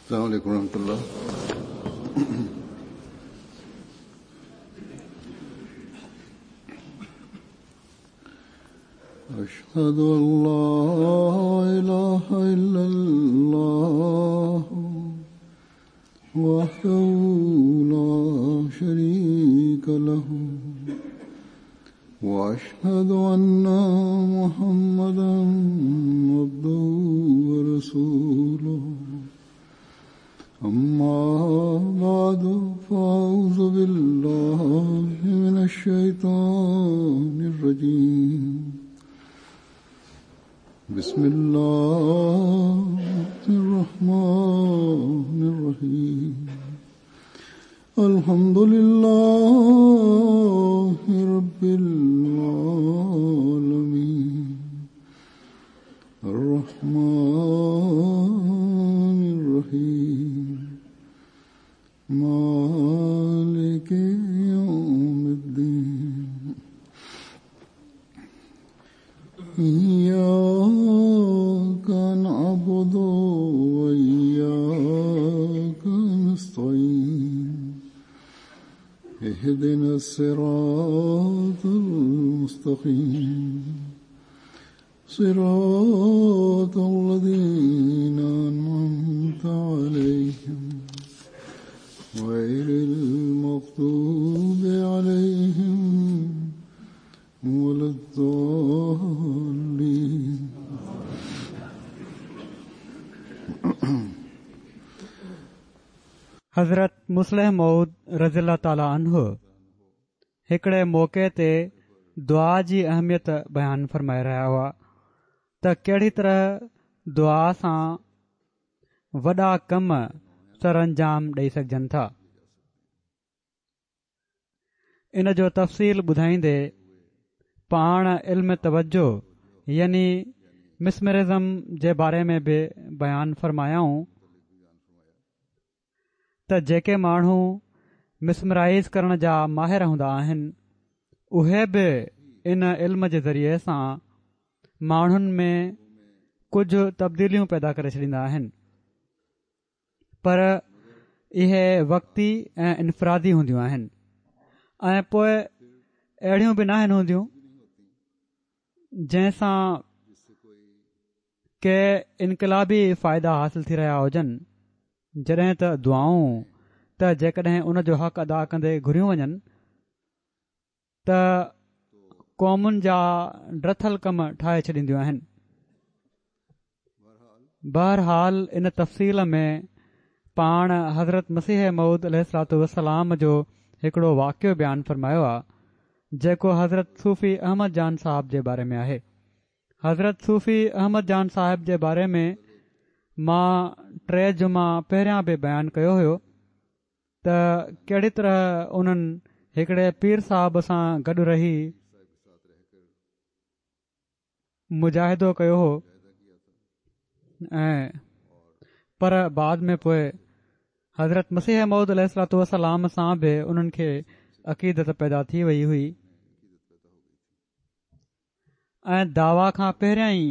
السلام عليڪم ورحمة الله. أشهد أن لا إله إلا الله وحده لا شريك له وأشهد أن محمدا عبده ورسوله أما بعد فأعوذ بالله من الشيطان الرجيم بسم الله الرحمن الرحيم الحمد لله رب العالمين الرحمن الرحيم مالك يوم الدين إياك نعبد وإياك نستعين اهدنا الصراط المستقيم صراط الذين أنعمت عليهم غير المغضوب عليهم ولا الضالين. حضرت مصلح موعود رضي الله تعالٰي عنه هڪڙي موقعي تي دعا جي اهميت بيان فرمائي رهيا هئا ته ڪهڙي طرح دعا سان وڏا ڪم سرانجام ڏئي سگهجن ٿا. ان جو تفصيل ٻڌائيندي پاڻ علم توجه يعني مسمرزم جي باري ۾ به بيان فرمايائون ته جيڪي ماڻهو مسمرائيز ڪرڻ جا ماهر هوندا آهن اهي به ان علم جي ذريعي سان ماڻهن ۾ ڪجهه تبديليون پيدا ڪري ڇڏيندا آهن. پر اهي وقتي ۽ انفرادي هونديون آهن ۽ پوء اهڙيون به ناهن هونديون جنهن سان ڪي انقلابي فائدا حاصل ٿي رهيا هجن جڏهن ته دعائون ته جيڪڏهن ان جو حق ادا ڪندي گهريون وڃن ته قومن جا ڊٿل ڪم ٺاهي ڇڏينديون آهن. بهرحال ان تفصيل ۾ پاڻ حضرت مسيح موعود عليه الصلوة والسلام جو هڪڙو واقعو بيان فرمايو آ جيڪو حضرت صوفي احمد جان صاحب جي باري ۾ آهي. حضرت صوفي احمد جان صاحب جي باري ۾ مان ٽي جمعا پهريان به بيان ڪيو هيو. ته ڪهڙي طرح انهن هڪڙي پير صاحب سان گڏ رهي مجاهدو ڪيو هو ۽ پر بعد ۾ پوء حضرت مسيح موعود عليه الصلوة والسلام سان به انهن کي عقيدت پيدا ٿي وئي هئي ۽ دعويٰ کان پهريان ئي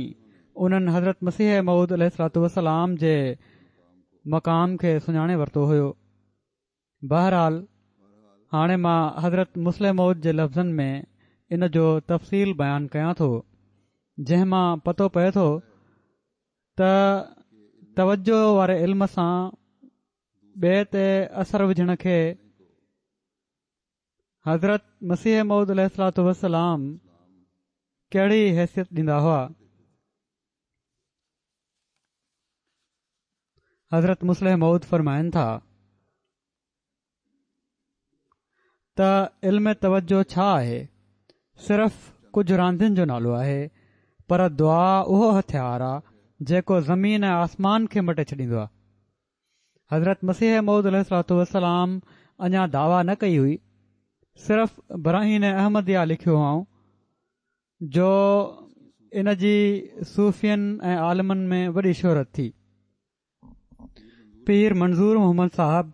انهن حضرت مسيح موعود عليه الصلوة والسلام جي مقام کي سڃاڻي ورتو هيو. بهرحال هاڻي مان حضرت مصلح موعود جي لفظن ۾ ان جو تفصيل بيان ڪيان ٿو جنهن مان پتو پئي ٿو ته توجه واري علم سان ٻئي تي اثر وجهڻ کي حضرت مسيح موعود عليه الصلوة والسلام ڪهڙي حيثيت ڏيندا هئا؟ حضرت مصلح موعود فرمائن ٿا ته علم توجه ڇا آهي؟ صرف ڪجهه راندين جو نالو آهي پر دعا اهو هٿيار آ جيڪو زمين ۽ آسمان کي مٽي ڇڏيندو آ. حضرت مسيح موعود عليه الصلوة والسلام اڃا دعويٰ نه ڪئي هئي، صرف براهين احمديه لکيو هئائون، جو ان جي صوفين ۽ عالمن ۾ وڏي شهرت ٿي. پير منظور محمد صاحب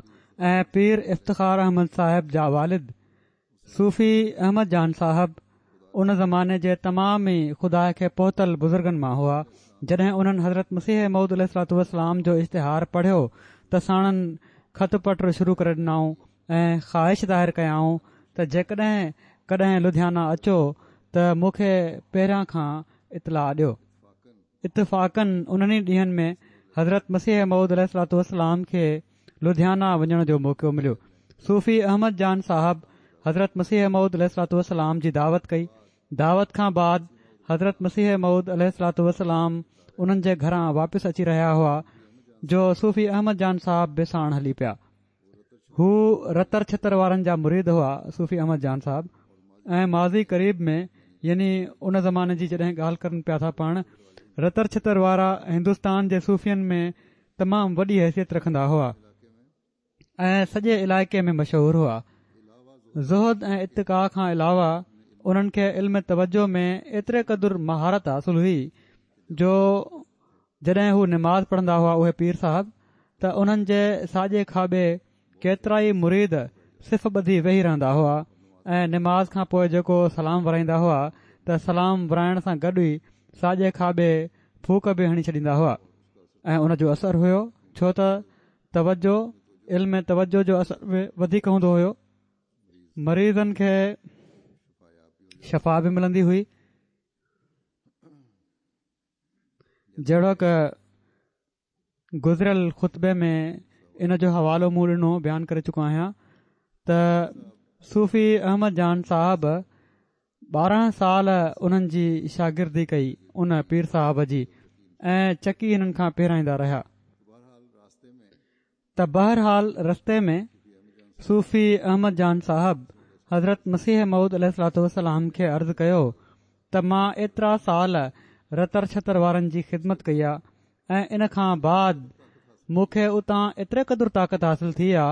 ۽ پير افتخار احمد صاحب جا والد صوفي احمد جان صاحب ان زماني جي تمام ئي خدا کي پهتل بزرگن مان هئا. جڏهن انهن حضرت مسيح موعود عليه الصلوة والسلام جو اشتهار پڙهيو ته ساڻن خط پٽ شروع ڪري ڏنائون ۽ خواهش ظاهر ڪيائون ته جيڪڏهن ڪڏهن لڌيانا اچو ته مون کي پهريان کان اطلاع ڏيو. اتفاقاً انهن ئي ڏينهن ۾ حضرت مسيح موعود عليه الصلوة والسلام کي لڌيانا وڃڻ جو موقعو مليو. صوفي احمد جان صاحب حضرت مسيح موعود عليه الصلوة والسلام جي دعوت ڪئي. دعوت کان بعد حضرت مسيح موعود عليه الصلوة والسلام انهن جي گهران واپس اچي رهيا هئا جو صوفي احمد جان صاحب به ساڻ هلي پيا. هو رتر ڇتر وارن جا مريد هئا صوفي احمد جان صاحب ۽ ماضي قريب ۾ يعني ان زماني جي جڏهن ڳالهه ڪرن پيا ٿا پاڻ رتر ڇتر وارا هندستان جي صوفين ۾ تمام وڏي حيثيت رکندا هئا ۽ سڄي علائقي ۾ مشهور هئا زهد ۽ اتقاء کان علاوه انهن کي علم توجه ۾ ايتري قدر مهارت حاصل هئي جو جڏهن هو نماز پڙهندا هئا اهي پير صاحب ته انهن جي ساڄي کاٻي ڪيترائي مريد صف ٻڌي ويهي رهندا هئا ۽ نماز کان پوء جيڪو سلام ورائيندا هئا ته سلام ورائڻ سان گڏ ئي ساڄي کاٻي ڦوڪ به هڻي ڇڏيندا هئا ۽ ان جو اثر هيو ڇو ته توجه علم توجه جو اثر به وڌيڪ هوندو هيو مريضن کي شفا به ملندي هئي. جهڙوڪ گذريل خطبي ۾ ان جو حوالو مون ڏنو بيان ڪري چڪو آهيان ته صوفي احمد جان صاحب 12 سال انهن جي شاگردي ڪئي ان پير صاحب جي ۽ چڪي هنن کان پيرائيندا رهيا ته بهرحال رستي ۾ صوفي احمد جان صاحب حضرت مسيح موعود عليه الصلوة والسلام کي عرض ڪيو ته مان ايترا سال رتر ڇتر وارن جي خدمت ڪئي آ ۽ ان کان بعد مون کي اتان ايتري قدر طاقت حاصل ٿي آ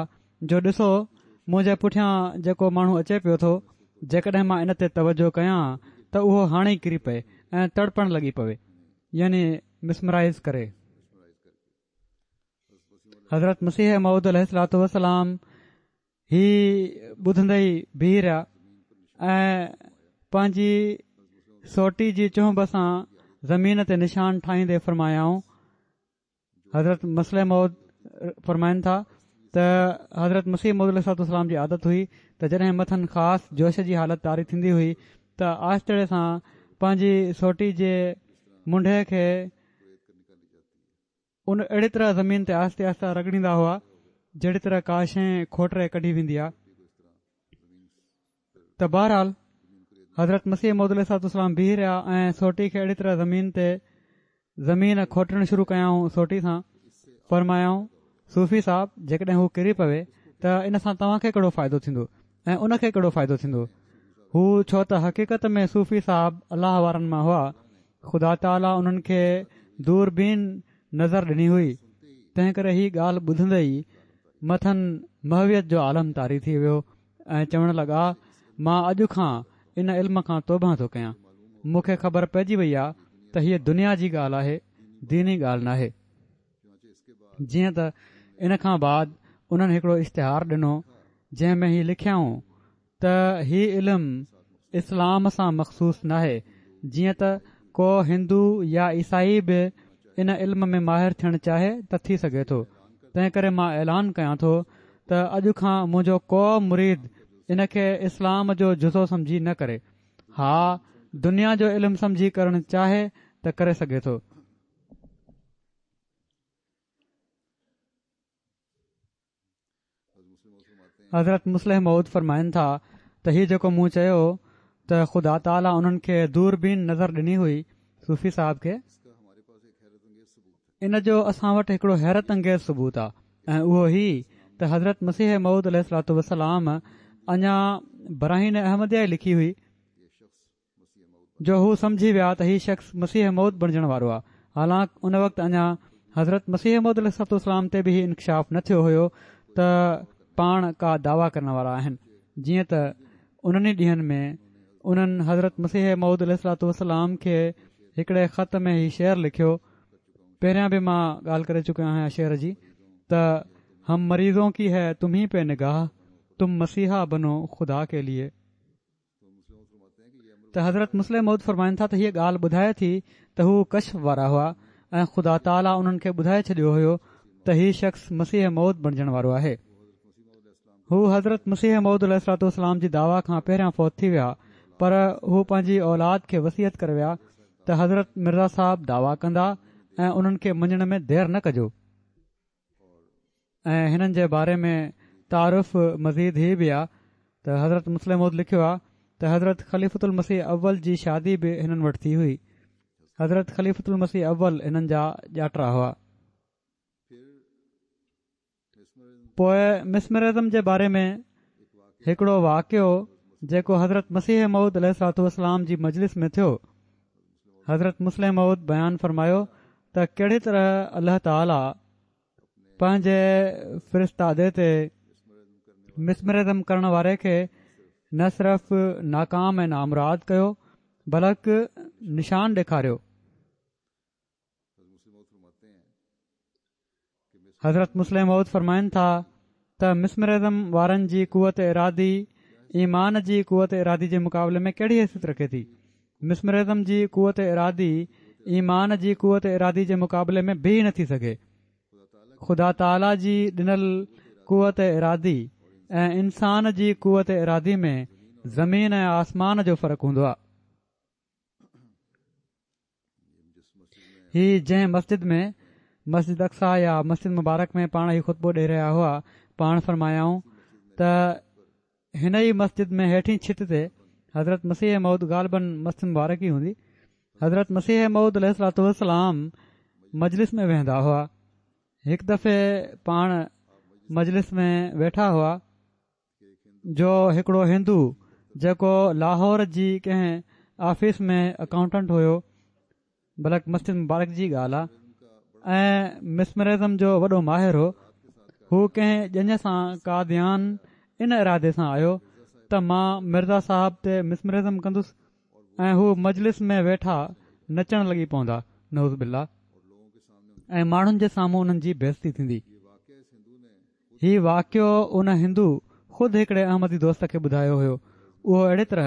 جو ڏسو منهنجي پٺيان جيڪو ماڻهو اچي پيو ٿو جيڪڏهن مان ان تي توجه ڪيان ته اهو هاڻي ئي ڪري پئي ۽ تڙپڻ لڳي پوي يعني مسمرائز ڪري. حضرت مسيح موعود عليه الصلوة والسلام هي ٻڌندي ئي بيهي رهيا ۽ پنهنجي سوٽي جي چهنب سان زمين تي نشان ٺاهيندي فرمايائون حضرت مصلح موعود فرمائن ٿا ته حضرت مسيح موعود عليه الصلوة والسلام جي عادت هئي ته جڏهن مٿن خاص جوش جي حالت طاري ٿيندي هئي ته آهستڙي سان پنهنجي سوٽي جي منڍي کي ان اهڙي طرح زمين تي آهستي آهستي رڳڙيندا هئا جهڙي طرح ڪا شيء کوٽري ڪڍي ويندي آهي ته بهرحال حضرت مسيح موعود عليه الصلوة والسلام بيهي رهيا ۽ سوٽي کي اهڙي طرح زمين تي زمين کوٽڻ شروع ڪيائون سوٽي سان فرمايائون صوفي صاحب جيڪڏهن هو ڪري پوي ته ان سان توهان کي ڪهڙو فائدو ٿيندو ۽ ان کي ڪهڙو فائدو ٿيندو هو ڇو ته حقيقت ۾ صوفي صاحب الله وارن مان هئا خدا تعاليٰ انهن کي دوربين نظر ڏني هئي، تنهن ڪري هي ڳالهه ٻڌندي ئي مٿن محويت جو عالم طاري ٿي ويو ۽ چوڻ لڳا، مان اڄ کان ان علم کان توبهه ٿو ڪيان، مون کي خبر پئجي وئي آهي ته هيء دنيا جي ڳالهه آهي، ديني ڳالهه ناهي. جيئن ته ان کان بعد انهن هڪڙو اشتهار ڏنو، جنهن ۾ هي لکيائون ته هي علم اسلام سان مخصوص ناهي، جيئن ته ڪو هندو يا عيسائي به ان علم ۾ ماهر ٿيڻ چاهي ته ٿي سگهي ٿو، تنهن ڪري مان اعلان ڪيان ٿو ته اڄ کان منهنجو ڪو مريد ان کي اسلام جو جزو سمجهي نه ڪري، ها دنيا جو علم سمجهي ڪرڻ چاهي ته ڪري سگهي ٿو. حضرت مصلح موعود فرمائن ٿا ته هي جيڪو مون چيو ته خدا تعاليٰ انهن کي دوربين نظر ڏني هئي صوفي صاحب کي ان جو اسان وٽ هڪڙو حيرت انگيز ثبوت آهي ۽ اهو هي ته حضرت مسيح موعود عليه الصلوة والسلام اڃا براهين احمديه ئي لکي هئي جو هو سمجهي ويا ته هي شخص مسيح موعود بڻجڻ وارو آهي حالانڪ ان وقت اڃا حضرت مسيح موعود عليه الصلوة والسلام تي به هي انڪشاف نه ٿيو هيو ته پاڻ ڪا دعويٰ ڪرڻ وارا آهن جيئن ته انهن ئي ڏينهن ۾ انهن حضرت مسيح موعود عليه الصلوة والسلام کي هڪڙي خط ۾ هي شعر لکيو پهريان به مان ڳالهه ڪري چڪو آهيان شعر جي ته هم مريضون ڪي هي تمهين پي نگاهه تم مسيحا بنو خدا ڪي ليي ته حضرت مصلح موعود فرمائن ٿا ته هيء ڳالهه ٻڌائي ٿي ته هو ڪشف وارا هئا ۽ خدا تعاليٰ انهن کي ٻڌائي ڇڏيو هيو ته هي شخص مسيح موعود بڻجڻ وارو آهي. هو حضرت مسيح موعود عليه الصلوة والسلام جي دعويٰ کان پهريان فوت ٿي ويا پر هو پنهنجي اولاد کي وصيت ڪري ويا ته حضرت مرزا صاحب دعويٰ ڪندا ۽ انهن کي مڃڻ ۾ دير نه ڪجو. ۽ هنن جي باري ۾ تعارف مزيد هي به آ ته حضرت مصلح موعود لکيو آ ته حضرت خليفة المسيح اول جي شادي به هنن وٽ ٿي هئي. حضرت خليفة المسيح اول هنن جا ڄاٽرا هئا. پوء مسمرزم جي باري ۾ هڪڙو واقعو جيڪو حضرت مسيح موعود عليه الصلوة والسلام جي مجلس ۾ ٿيو. حضرت مصلح موعود بيان فرمايو ته ڪهڙي طرح الله تعاليٰ پنهنجي فرستادي تي مسمرزم ڪرڻ واري کي نه صرف ناڪام ۽ نامراد ڪيو بلڪ نشان ڏيکاريو. حضرت مصلح موعود فرمائن ٿا ته مسمرزم وارن جي قوت ارادي ايمان جي قوت ارادي جي مقابلي ۾ ڪهڙي حيثيت رکي ٿي مسمرزم جي قوت ارادي ايمان جي قوت ارادي جي مقابلي ۾ بيهي نٿي سگهي. خدا تعاليٰ جي ڏنل قوت ارادي ۽ انسان جي قوت ارادي ۾ زمين ۽ آسمان جو فرق هوندو آهي. هي جنهن مسجد ۾ مسجد اقصيٰ يا مسجد مبارڪ ۾ پاڻ هي خطبو ڏئي رهيا هئا پاڻ فرمايائون ته هن ئي مسجد ۾ هيٺين ڇت تي حضرت مسيح موعود غالباً مسجد مبارڪ ئي هوندي حضرت مسيح موعود عليه الصلوة والسلام مجلس ۾ ويهندا هئا هڪ دفعي پاڻ مجلس ۾ ويٺا هئا جو هڪڙو هندو جيڪو لاهور جي ڪنهن آفيس ۾ اڪائونٽنٽ هيو بلڪ مسجد مبارڪ جي ڳالهه آ ۽ مسمرزم جو وڏو ماهر هو هو ڪنهن ڄڃ سان قاديان ان ارادي سان آيو ته مان مرزا صاحب تي مسمرزم ڪندس ۽ هو مجلس ۾ ويٺا نچڻ لڳي پوندا نعوذ بالله ۽ ماڻهن جي سامهون انهن جي بيعزتي ٿيندي هي واقعو ان هندو خود هڪڙي احمدي دوست کي ٻڌايو هيو. اهو اهڙي طرح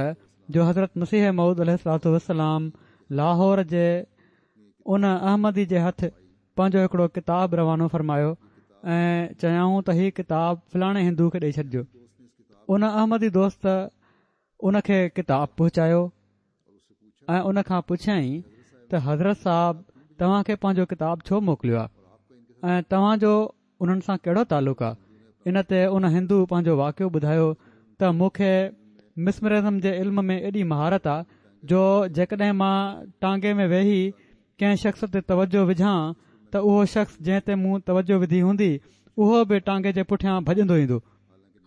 جو حضرت مسيح موعود عليه الصلوة والسلام لاهور جي ان احمدي جي هٿ پنهنجو هڪڙو ڪتاب روانو فرمايو ۽ چيائون ته هي ڪتاب فلاڻي هندو کي ڏئي ڇڏجو. ان احمدي دوست ان کي ڪتاب پهچايو ۽ ان کان پڇيائين ته حضرت صاحب توهان کي پنهنجو ڪتاب ڇو موڪليو آهي ۽ توهان جو انهن سان ڪهڙو تعلق آ؟ ان تي ان هندو پنهنجو واقعو ٻڌايو ته مون کي مسمرزم جي علم ۾ ايڏي مهارت آ جو جيڪڏهن مان ٽانگي ۾ ويهي ڪنهن شخص تي توجه وجهان ته اهو شخص جنهن تي مون توجه وڌي هوندي اهو به ٽانگي جي پٺيان ڀڄندو ايندو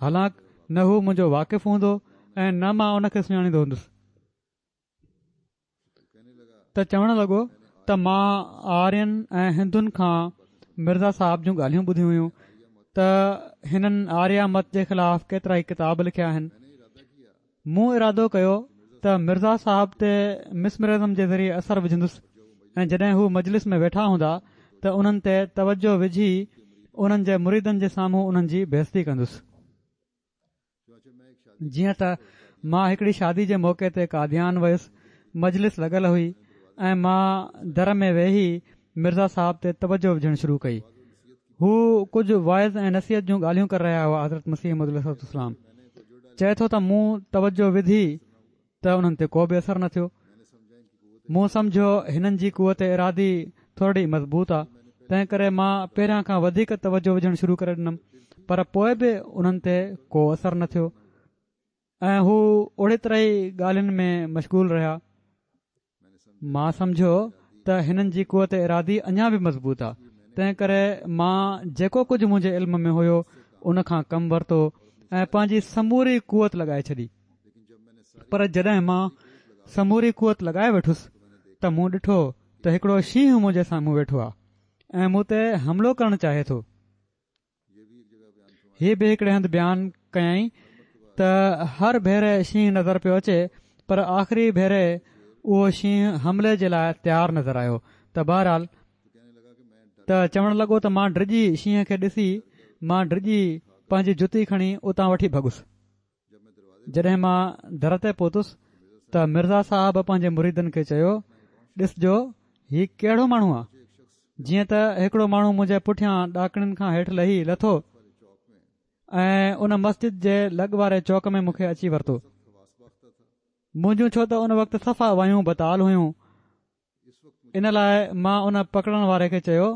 حالانڪ نه هو منهنجو واقف هوندو ۽ نه مان ان کي سڃاڻيندو هوندس. ته چوڻ لڳو ته مان آرين ۽ هندن کان مرزا صاحب جون ڳالهيون ٻڌيون هيون ته هنن آريا مت جي خلاف ڪيترائي ڪتاب لکيا آهن مون ارادو ڪيو ته مرزا صاحب تي مسمرزم جي ذريعي اثر وجهندس ۽ جڏهن هو مجلس ۾ ويٺا هوندا ته انهن تي توجه وجهي انهن جي مريدن جي سامهون انهن جي بيعزتي ڪندس جيئن ته مان هڪڙي شادي جي موقعي تي قاديان ويس، مجلس لڳل هئي ۽ مان در ۾ ويهي مرزا صاحب تي توجه وجهڻ شروع ڪئي. هو ڪجهه وعظ ۽ نصيحت جون ڳالهيون ڪري رهيا هئا حضرت مسيح موعود عليه الصلوة والسلام چئي ٿو ته مون توجه وڌي ته انهن تي ڪو به اثر نه ٿيو. مون سمجهيو هنن جي قوت ارادي ٿورڙي مضبوط آ، تنهن ڪري مان پهريان کان وڌيڪ توجه وجهڻ شروع ڪري ڏنم، پر پوء به انهن تي ڪو اثر نه ٿيو ۽ هو اوڙي طرح ئي ڳالهين ۾ مشغول رهيا. مان سمجهيو ته هنن جي قوت ارادي اڃا به مضبوط آ، تنهن ڪري مان جيڪو ڪجهه منهنجي علم ۾ هيو ان کان ڪم ورتو ۽ پنهنجي سموري قوت لڳائي ڇڏي. پر جڏهن مان سموري قوت لڳائي ويٺس ته مون ڏٺو ته هڪڙو شينهن منهنجي سامهون ويٺو آ ۽ مون تي حملو ڪرڻ چاهي ٿو. هي به هڪڙي هنڌ بيان ڪيائين ته هر ڀيري شينهن نظر پيو اچي پر آخري ڀيري اهو شينهن حملي جي لاء تيار نظر آيو ته بهرحال ته چوڻ لڳو ته مان ڊڄي شينهن کي ڏسي مان ڊڄي پنهنجي جتي کڻي اتان وٺي ڀڳس جڏهن مان در تي پهتس ته مرزا صاحب پنهنجي مريدن کي چيو ڏسجو هي ڪهڙو ماڻهو آ. جيئن ته هڪڙو ماڻهو منهنجي پٺيان ڏاڪڻين کان هيٺ لهي لٿو ۽ ان مسجد جي لڳ واري چوڪ ۾ مون کي اچي ورتو. منهنجون ڇو ته ان وقت صفا وايون بتال هيون ان لاء مان ان پڪڙڻ واري کي چيو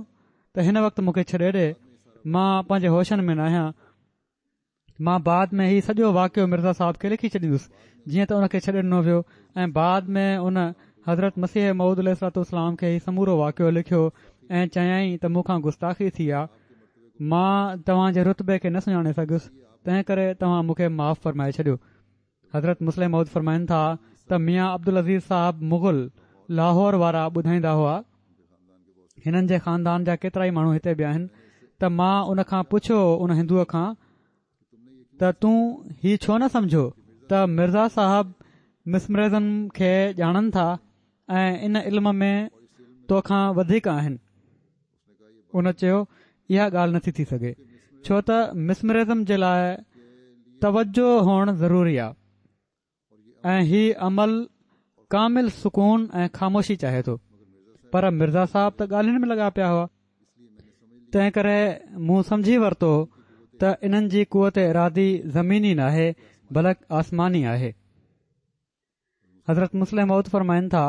ته هن وقت مون کي ڇڏي ڏي مان پنهنجي هوشن ۾ ناهيان. مان بعد ۾ هي سڄو واقعو مرزا صاحب کي لکي ڇڏيندس جيئن ته ان کي ڇڏي ڏنو ويو ۽ بعد ۾ ان حضرت مسيح موعود عليه الصلوة والسلام کي هي سمورو واقعو لکيو ۽ چيائين ته مون کان گستاخي ٿي آ مان توهان جي رتبي کي نه سڃاڻي سگهيس تنهن ڪري توهان مون کي معاف فرمائي ڇڏيو حضرت مصلح موعود فرمائن ٿا ته ميان عبدالعزيز صاحب مغل لاهور وارا ٻڌائيندا هئا هنن جي خاندان جا ڪيترائي ماڻهو هتي به آهن ته مان ان کان پڇيو ان هندوء کان ته تون هي ڇو نه سمجهيو ته مرزا صاحب مسمرزم کي ڄاڻن ٿا ۽ ان علم ۾ توکان وڌيڪ آهن ان چيو اها ڳالهه نٿي ٿي سگهي ڇو ته مسمرزم جي لاء توجه هئڻ ضروري آهي ۽ هي عمل ڪامل سڪون ۽ خاموشي چاهي ٿو پر مرزا صاحب ته ڳالهين ۾ لڳا پيا هئا تنهن ڪري مون سمجهي ورتو ته انهن جي قوت ارادي زميني ناهي بلڪ آسماني آهي حضرت مصلح موعود فرمائن ٿا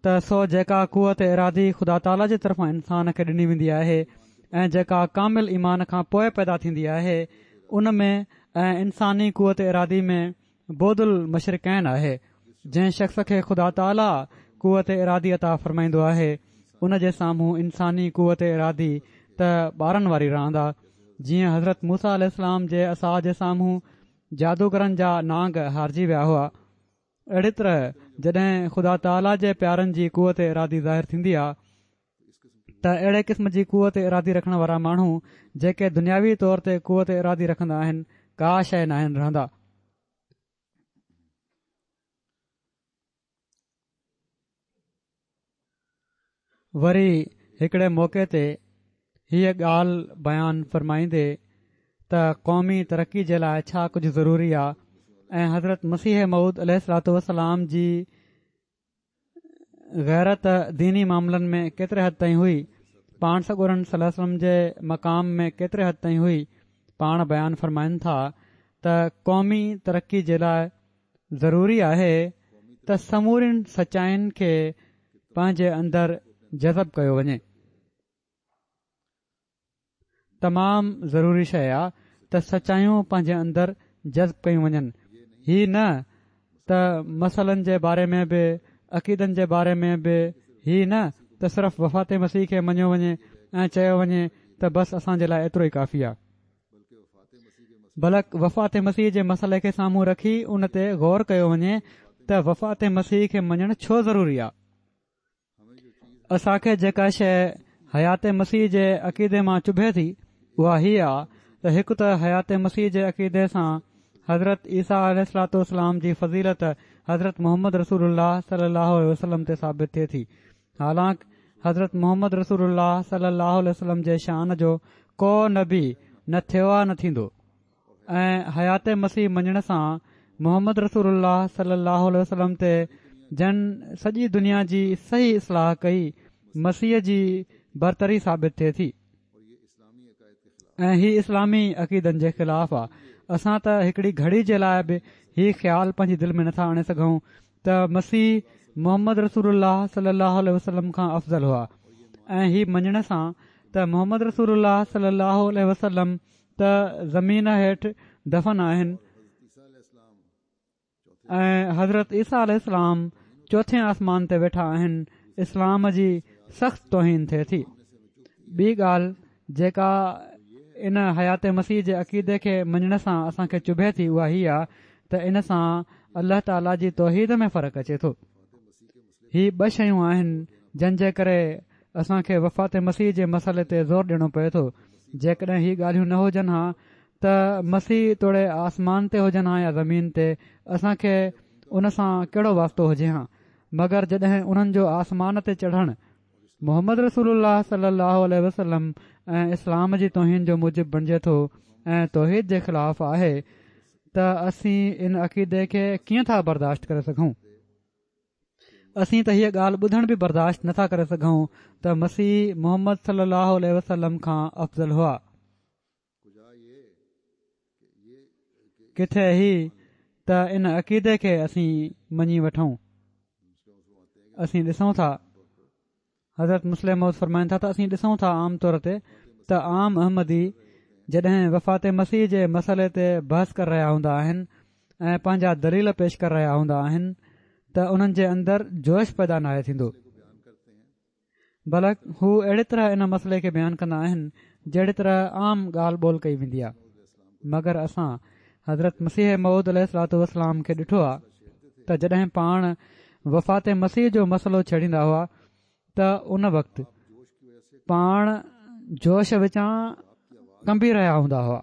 ته سو جيڪا قوت ارادي خدا تعاليٰ جي طرفان انسان کي ڏني ويندي آهي ۽ جيڪا ڪامل ايمان کان پوء پيدا ٿيندي آهي ان ۾ ۽ انساني قوت ارادي ۾ بعد المشرقين آهي جنهن شخص کي خدا تعاليٰ قوت ارادي عطا فرمائيندو آهي ان جي سامهون انساني قوت ارادي ته ٻارن واري راند آ جيئن حضرت موسيٰ عليه السلام جي عصا جي سامهون جادوگرن جا نانگ هارجي ويا هئا. اهڙي طرح جڏهن خدا تعاليٰ جي پيارن جي قوت ارادي ظاهر ٿيندي آ ته اهڙي قسم جي قوت ارادي رکڻ وارا ماڻهو جيڪي دنياوي طور تي قوت ارادي رکندا آهن ڪا شيء ناهن رهندا. وري هڪڙي موقعي تي هيء ڳالهه بيان فرمائيندي ته قومي ترقي جي لاء ڇا ڪجهه ضروري آ ۽ حضرت مسيح موعود عليه الصلوة والسلام جي غيرت ديني معاملن ۾ ڪيتري حد تائين هئي پاڻ سڳورن صلي الله عليه وسلم جي مقام ۾ ڪيتري حد تائين هئي پاڻ بيان فرمائن ٿا ته قومي ترقي جي لاء ضروري آهي ته سمورين سچائين کي پنهنجي اندر جذب ڪيو وڃي. تمام ضروري شيء آ ته سچايون پنهنجي اندر جذب ڪيون وڃن. هي نه ته مسئلن جي باري ۾ به عقيدن جي باري ۾ به هي نه ته صرف وفات مسيح کي مڃيو وڃي ۽ چيو وڃي ته بس اسان جي لاء ايترو ئي ڪافي آ. بلڪ وفات مسيح جي مسئلي کي سامهون رکي ان تي غور ڪيو وڃي ته وفات مسيح کي مڃڻ ڇو ضروري آهي. اسان کي جيڪا شيء حيات مسيح جي عقيدي مان چڀي ٿي اها هيء آ ته هڪ ته حيات مسيح جي عقيدي سان حضرت عيسيٰ عليه الصلوة والسلام جي فضيلت حضرت محمد رسول الله صلي الله عليه وسلم تي ثابت ٿئي ٿي حالانڪ حضرت محمد رسول الله صلي الله عليه وسلم جي شان جو ڪو نبي نه ٿيو آ نه ٿيندو ۽ حيات مسيح مڃڻ سان محمد رسول الله صلي الله عليه وسلم تي جن سڄي دنيا جي صحيح اصلاح ڪئي مسيح جي برتري ثابت ٿئي ٿي ۽ هي اسلامي عقيدن جي خلاف آ اسان ته هڪڙي گهڙي جي لاء به هي خيال پنهنجي دل ۾ نٿا آڻي سگهون ته مسيح محمد رسول الله صلي الله عليه وسلم کان افضل هئا ۽ هي مڃڻ سان ته محمد رسول الله صلي الله عليه وسلم ته زمين هيٺ دفن آهن ۽ حضرت عيسيٰ عليه السلام چوٿين آسمان تي ويٺا آهن اسلام جي سخت توهين ٿئي ٿي ٻي ڳالهه جيڪا ان حيات مسيح جي عقيدي کي مڃڻ سان اسان کي چڀي ٿي اها هي آ ته ان سان الله تعاليٰ جي توحيد ۾ فرق اچي ٿو هي ٻه شيون آهن جن جي ڪري اسان کي وفات مسيح جي مسئلي تي زور ڏيڻو پئي ٿو. جيڪڏهن هي ڳالهيون نه هجن ها ته مسيح توڙي آسمان تي هجن ها يا زمين تي اسان کي ان سان ڪهڙو واسطو هجي ها مگر جڏهن انهن جو آسمان تي چڙهڻ محمد رسول الله صلي الله عليه وسلم ۽ اسلام جي توهين جو موجب بڻجي ٿو ۽ توحيد جي خلاف آهي ته اسين ان عقيدي کي ڪيئن ٿا برداشت ڪري سگهون. اسين ته هيء ڳالهه ٻڌڻ به برداشت نٿا ڪري سگهون ته مسيح محمد صلي الله عليه وسلم کان افضل هئا. ڪٿي هي ته ان عقيدي کي اسين مڃي وٺون. اسين ڏسون ٿا. حضرت مصلح موعود فرمائن ٿا ته اسين ڏسون ٿا عام طور تي ته عام احمدي جڏهن وفات مسيح جي مسئلي تي بحث ڪري رهيا هوندا آهن ۽ پنهنجا دليل پيش ڪري رهيا هوندا آهن ته انهن جي اندر جوش پيدا ناهي ٿيندو بلڪ هو اهڙي طرح ان مسئلي کي بيان ڪندا آهن جهڙي طرح عام ڳالهه ٻولهه ڪئي ويندي آهي مگر اسان حضرت مسيح موعود عليه الصلوة والسلام کي ڏٺو آهي ته جڏهن پاڻ وفات مسيح جو مسئلو ڇيڙيندا هئا ته ان وقت پاڻ جوش وچان ڪنبي رهيا هوندا هئا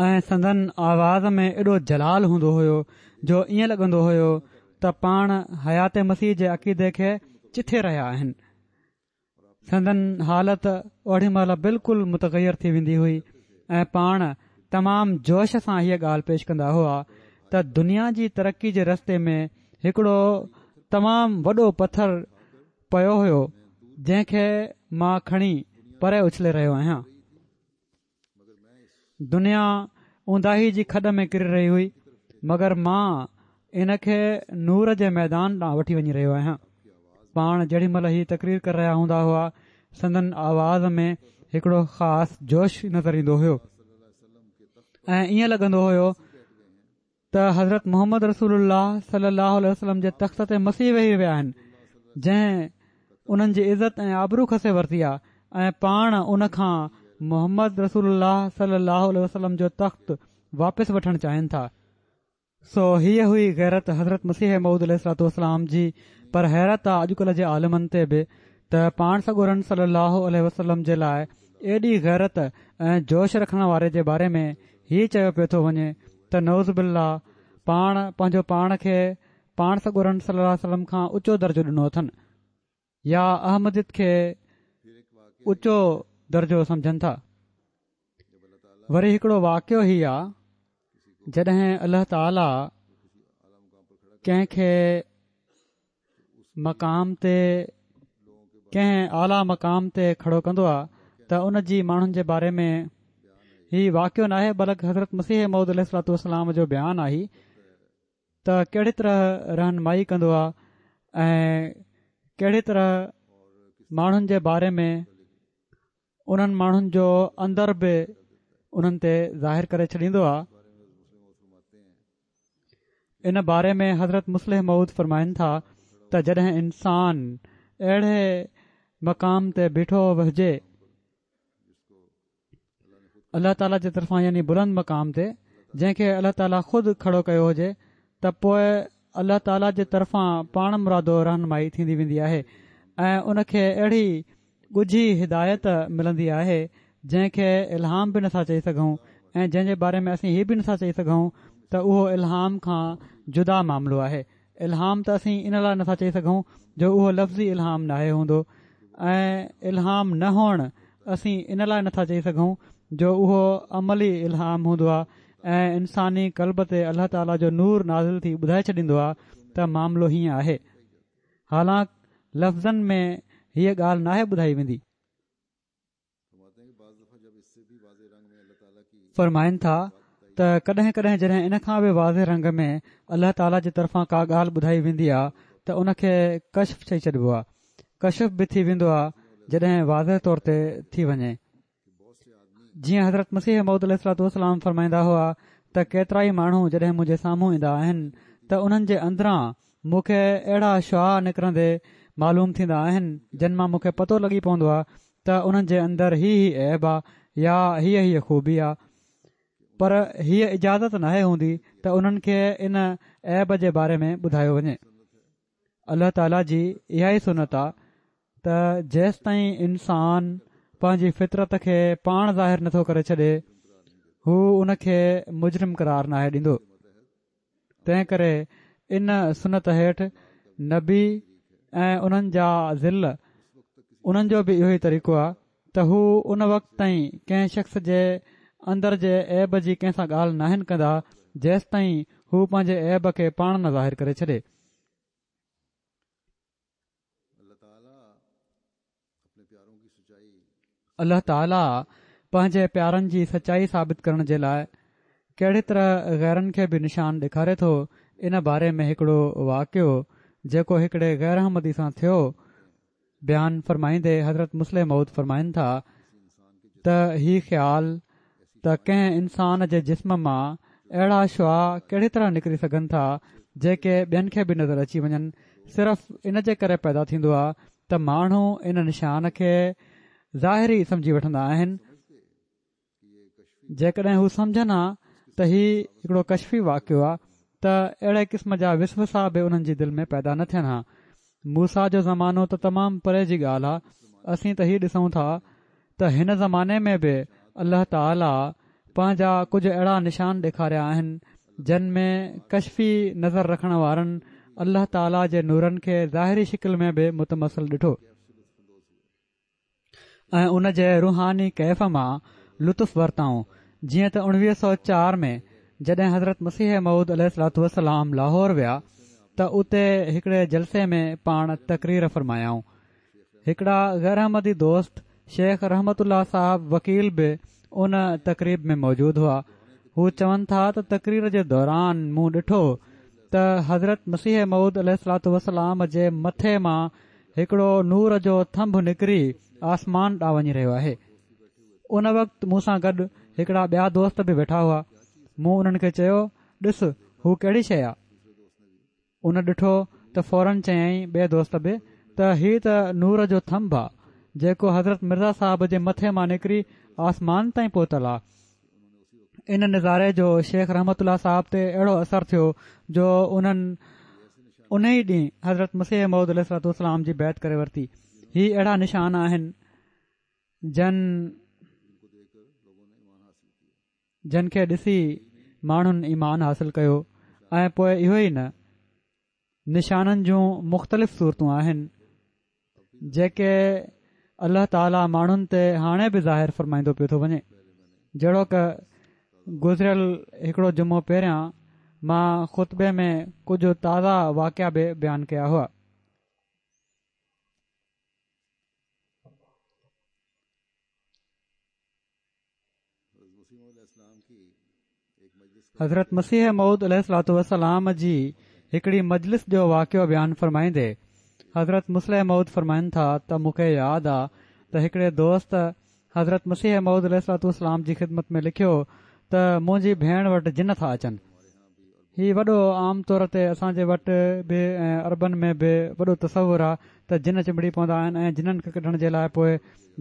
۽ سندن آواز ۾ ايڏو جلال هوندو هيو جو ائين لڳندو هيو ته پاڻ حيات مسيح جي عقيدي کي چٿي رهيا آهن. سندن حالت اوڏي مهل بلڪل متغير ٿي ويندي هئي ۽ پاڻ تمام جوش سان هيء ڳالهه پيش ڪندا هئا ته دنيا جي ترقي جي رستي ۾ هڪڙو تمام وڏو پٿر پيو هيو جنهن کي مان کڻي پري اڇلي رهيو آهيان. دنيا اونداهي جي کڏ ۾ ڪري رهي هئي مگر مان ان کي نور جي ميدان ڏانهن وٺي وڃي رهيو آهيان. پاڻ جيڏي مهل هي تقرير ڪري رهيا هوندا هئا سندن آواز ۾ هڪڙو خاص جوش نظر ايندو هيو ۽ ائين لڳندو هيو ته حضرت محمد رسول الله صلي الله عليه وسلم جي تخت تي مسيح ويهي ويا آهن جنهن انهن جي عزت ۽ آبرو کسي ورتي آهي ۽ پاڻ ان کان محمد رسول الله صلي الله عليه وسلم جو تخت واپس وٺڻ چاهين ٿا. سو هيء هئي غيرت حضرت مسيح موعود عليه الصلوة والسلام جي پر حيرت آ اڄڪلهه جي عالمن تي به ته پاڻ سڳورن صلي الله عليه وسلم جي لاء ايڏي غيرت ۽ جوش رکڻ واري جي باري ۾ هي چيو پيو ٿو وڃي ته نعوذ بالله پاڻ پنهنجو پاڻ کي پاڻ سڳورن صلي الله عليه وسلم کان اوچو درجو ڏنو اٿن يا احمديت کي اوچو درجو سمجهن ٿا. وري هڪڙو واقعو هي آ جڏهن الله تعالي ڪنهن کي مقام تي ڪنهن اعليٰ مقام تي کڙو ڪندو آ ته ان جي ماڻهن جي باري ۾ هي واقعو ناهي بلڪ حضرت مسيح موعود عليه الصلوة والسلام جو بيان آهي ته ڪهڙي طرح رهنمائي ڪندو آ ۽ ڪهڙي طرح ماڻهن جي باري ۾ انهن ماڻهن جو اندر به انهن تي ظاهر ڪري ڇڏيندو آ. ان باري ۾ حضرت مصلح موعود فرمائن ٿا ته جڏهن انسان اهڙي مقام تي بيٺو هجي الله تعاليٰ جي طرفان يعني بلند مقام تي جنهن کي الله تعاليٰ خود کڙو ڪيو هجي ته پوء الله تعاليٰ جي طرفان پاڻ مرادو رهنمائي ٿيندي ويندي آهي ۽ ان کي اهڙي ڳجهي هدايت ملندي آهي جنهن کي الهام به نٿا چئي سگهون ۽ جنهن جي باري ۾ اسين هي به نٿا چئي سگهون ته اهو الهام کان جدا معاملو آهي الهام ته اسين ان لاء نٿا چئي سگهون جو اهو لفظي الهام ناهي هوندو ۽ الهام نه هئڻ اسين ان لاء نٿا چئي سگهون جو اهو عملي الهام هوندو آهي ۽ انساني قلب تي الله تعاليٰ جو نور نازل ٿي ٻڌائي ڇڏيندو آهي ته معاملو هيئن آهي حالانڪ لفظن ۾ هيء ڳالهه ناهي ٻڌائي ويندي. فرمائن ٿا ته ڪڏهن ڪڏهن جڏهن ان کان به واضح رنگ ۾ الله تعاليٰ جي طرفان ڪا ڳالهه ٻڌائي ويندي آهي ته ان کي ڪشف چئي ڇڏبو آهي ڪشف به ٿي ويندو آهي جڏهن واضح طور تي ٿي وڃي جيئن حضرت مسيح موعود عليه الصلوة والسلام فرمائيندا هئا ته ڪيترائي ماڻهو جڏهن منهنجي سامهون ايندا آهن ته انهن جي اندران مون کي اهڙا شعاع نڪرندي معلوم ٿيندا آهن جن مان مون کي پتو لڳي پوندو آهي ته انهن جي اندر هي هي عيب آ يا هيء هيء خوبي آ پر هيء اجازت ناهي هوندي ته انهن کي ان عيب جي باري ۾ ٻڌايو وڃي. الله تعاليٰ جي اها ئي سنت آ ته جيستائين انسان پنهنجي فطرت کي پاڻ ظاهر نٿو ڪري ڇڏي هو ان کي مجرم قرار ناهي ڏيندو. تنهن ڪري ان سنت هيٺ نبي ۽ انهن جا ظل انهن جو به اهو ئي طريقو آهي ته هو ان وقت تائين ڪنهن شخص جي اندر جي عيب جي ڪنهن سان ڳالهه ناهن ڪندا جيستائين هو پنهنجي عيب کي پاڻ نه ظاهر ڪري ڇڏي. الله تعاليٰ پنهنجي پيارن جي سچائي ثابت ڪرڻ جي لاء ڪهڙي طرح غيرن کي به نشان ڏيکاري ٿو، ان باري ۾ هڪڙو واقعو جيڪو هڪڙي غير احمدي سان ٿيو، بيان فرمائيندي حضرت مصلح موعود فرمائن ٿا ته هي خيال ته ڪنهن انسان جي جسم مان اهڙا شعاع ڪهڙي طرح نڪري سگهن ٿا جيڪي ٻين کي به نظر اچي وڃن صرف ان جي ڪري پيدا ٿيندو آهي ته ماڻهو ان نشان کي ظاهري سمجهي وٺندا آهن جيڪڏهن هو سمجهن ها ته هي هڪڙو ڪشفي واقعو آهي ته اهڙي قسم جا وسوسا به انهن جي دل ۾ پيدا نه ٿين ها. موسيٰ جو زمانو ته تمام پري جي ڳالهه آهي، اسين ته هي ڏسون ٿا ته هن زماني ۾ به الله تعاليٰ پنهنجا ڪجهه اهڙا نشان ڏيکاريا آهن جن ۾ ڪشفي نظر رکڻ وارن الله تعاليٰ جي نورن کي ظاهري شڪل ۾ به متمثل ڏٺو. ۽ ان جي روحاني ڪيف مان لطف ورتائون جيئن ته 1904 ۾ جڏهن حضرت مسيح موعود عليه الصلوة والسلام لاهور ويا ته اتي هڪڙي جلسي ۾ پاڻ تقرير فرمايائون هڪڙا غير احمدي دوست شيخ رحمت الله صاحب وڪيل به ان تقريب ۾ موجود هئا هو چون ٿا ته تقرير جي دوران مون ڏٺو ته حضرت مسيح موعود عليه الصلوة والسلام جي مٿي مان هڪڙو نور جو ٿنڀ نڪري آسمان ڏانهن وڃي رهيو آهي. ان وقت مون سان گڏ هڪڙا ٻيا دوست به ويٺا هئا. مون انهن کي چيو، ڏس هو ڪهڙي شيء آ؟ ان ڏٺو ته فورن چيائين ٻئي دوست به ته هي ته نور جو ٿنڀ آ، جيڪو حضرت مرزا صاحب جي مٿي مان نڪري آسمان تائين پهتل آ. ان نظاري جو شيخ رحمت الله صاحب تي اهڙو اثر ٿيو جو انهن ان ئي ڏينهن حضرت مسيح موعود عليه الصلوة والسلام جي بيعت ڪري ورتي. هي اهڙا نشان آهن جن جن کي ڏسي ماڻهن ايمان حاصل ڪيو ۽ پوء اهو ئي نه نشانن جون مختلف صورتون آهن جيڪي الله تعاليٰ ماڻهن تي هاڻي به ظاهر فرمائيندو پيو ٿو وڃي جهڙوڪ گذريل هڪڙو جمعو پهريان مان خطبي ۾ ڪجهه تازا واقعا به بيان ڪيا هئا. حضرت مسيح موعود عليه الصلوة والسلام جي هڪڙي مجلس جو واقعو بيان فرمائيندي حضرت مصلح موعود فرمائن ٿا ته مون کي ياد آ ته هڪڙي دوست حضرت مسيح موعود عليه الصلوة والسلام جي خدمت ۾ لکيو ته منهنجي ڀيڻ وٽ جن ٿا اچن. هي وڏو عام طور تي اسان جي وٽ به ۽ عربن ۾ به وڏو تصور آ ته جن چنبڙي پوندا آهن ۽ جنن کي ڪڍڻ جي لاء پوء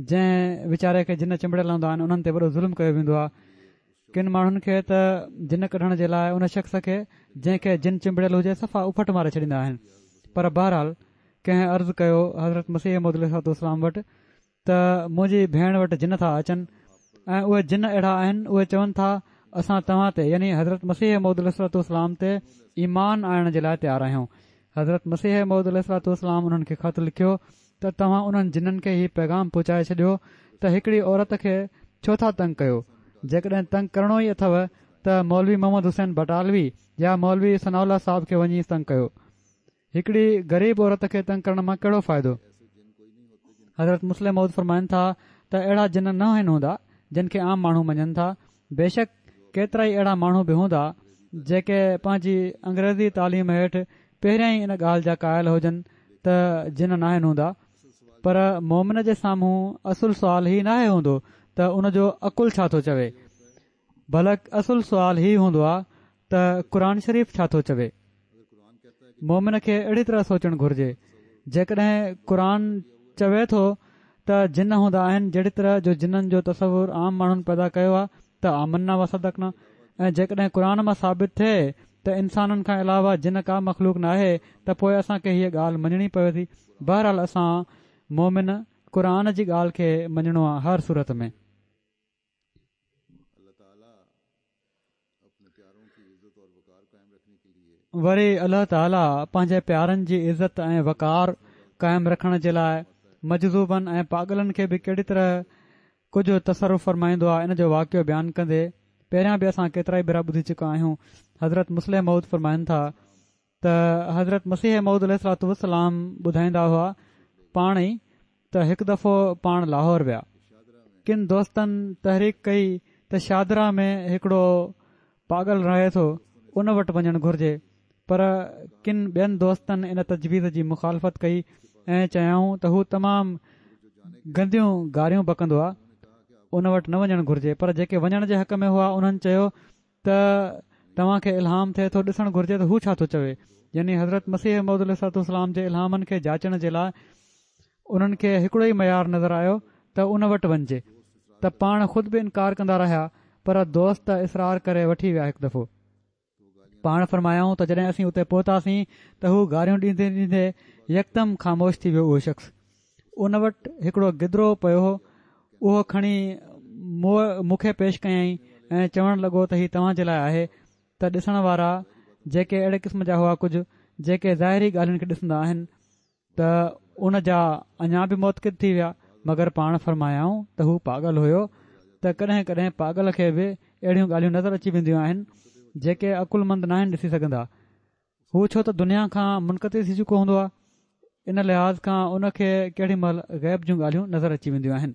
جنهن ويچاري کي جن چنبڙيل هوندا آهن انهن تي وڏو ظلم ڪيو ويندو آ. ڪن ماڻهن کي ته جن ڪڍڻ جي لاء ان شخص کي جنهن کي جن چنبڙيل هجي صفا اڦٽ ماري ڇڏيندا آهن. پر بهرحال ڪنهن عرض ڪيو حضرت مسيح موعود عليه الصلوة والسلام وٽ ته منهنجي ڀيڻ وٽ جن ٿا اچن ۽ اهي جن اهڙا آهن اهي چون ٿا اسان توهان تي يعني حضرت مسيح موعود عليه الصلوة والسلام تي ايمان آڻڻ جي لاء تيار آهيون حضرت مسيح موعود عليه الصلوة والسلام انهن کي خط لکيو ته توهان انهن جنن کي هي پيغام پهچائي ڇڏيو ته هڪڙي عورت کي ڇو ٿا تنگ ڪيو جيڪڏهن تنگ ڪرڻو ئي اٿو ته مولوي محمد حسين بٽالوي يا مولوي ثناء الله صاحب کي وڃي تنگ ڪيو هڪڙي غريب عورت کي تنگ ڪرڻ مان ڪهڙو فائدو؟ حضرت مصلح موعود فرمائن ٿا ته اهڙا جن نه آهن هوندا جن کي عام ماڻهو مڃن ٿا بيشڪ ڪيترائي اهڙا ماڻهو به هوندا جيڪي پنهنجي انگريزي تعليم هيٺ پهريان ئي ان ڳالهه جا قائل هجن ته جن ناهن هوندا پر مومن جي سامهون اصل سوال هي ناهي هوندو ته ان جو عقل ڇا ٿو چوي بلڪ اصل سوال هي هوندو آ ته قرآن شريف ڇا ٿو چوي؟ مومن کي اهڙي طرح سوچڻ گهرجي جيڪڏهن قرآن چوي ٿو ته جن هوندا آهن جهڙي طرح جو جنن جو تصور عام ماڻهن پيدا ڪيو آهي ته آمنا وصدقنا ۽ جيڪڏهن قرآن مان ثابت ٿئي ته انسانن کان علاوه جن ڪا مخلوق ناهي ته پوء اسان کي هيء ڳالهه مڃڻي پوي ٿي بهرحال اسان مومن قرآن جي ڳالهه کي مڃڻو آهي هر صورت ۾. وري الله تعاليٰ پنهنجي پيارن جي عزت ۽ وقار قائم رکڻ جي لاء مجذوبن ۽ پاڳلن کي به ڪهڙي طرح ڪجهه تصرف فرمائيندو آهي ان جو واقعو بيان ڪندي پهريان به اسان ڪيترائي ڀيرا ٻڌي چڪا آهيون حضرت مصلح موعود فرمائن ٿا ته حضرت مسيح موعود عليه الصلوة والسلام ٻڌائيندا هئا. پاڻ ئي ته هڪ دفعو پاڻ لاهور ويا. ڪن دوستن تحريڪ ڪئي ته شاهدره ۾ هڪڙو پاڳل رهي ٿو ان وٽ وڃڻ گهرجي پر ڪن ٻين دوستن ان تجويز جي مخالفت ڪئي ۽ چيائون ته هو تمام گنديون گاريون بڪندو آ ان وٽ نه وڃڻ گهرجي پر جيڪي وڃڻ جي حق ۾ هئا انهن چيو ته توهان کي الهام ٿئي ٿو ڏسڻ گهرجي ته هو ڇا ٿو چوي يعني حضرت مسيح موعود عليه الصلوة والسلام جي الهامن کي جاچڻ جي لاء انهن کي هڪڙو ئي معيار نظر آيو ته ان وٽ وڃجي ته پاڻ خود به انڪار ڪندا رهيا پر دوست اصرار ڪري وٺي ويا هڪ دفعو پاڻ فرمايائون ته جڏهن اسين اتي پهتاسين ته هو گاريون ڏيندي ڏيندي يڪدم خاموش ٿي ويو اهو شخص ان وٽ هڪڙو گدرو پيو هو، اهو کڻي مون کي پيش ڪيائين ۽ چوڻ لڳو ته هي توهان جي لاء آهي ته ڏسڻ وارا جيڪي اهڙي قسم جا هئا ڪجهه جيڪي ظاهري ڳالهين کي ڏسندا آهن ته ان جا اڃا به معتقد ٿي ويا مگر پاڻ فرمايائون ته هو پاڳل هيو ته ڪڏهن ڪڏهن پاڳل کي به اهڙيون ڳالهيون نظر اچي وينديون آهن جيڪي عقلمند ناهن ڏسي سگهندا هو ڇو ته دنيا کان منقطع ٿي چڪو هوندو آهي ان لحاظ کان ان کي ڪهڙي مهل غيب جون ڳالهيون نظر اچي وينديون آهن.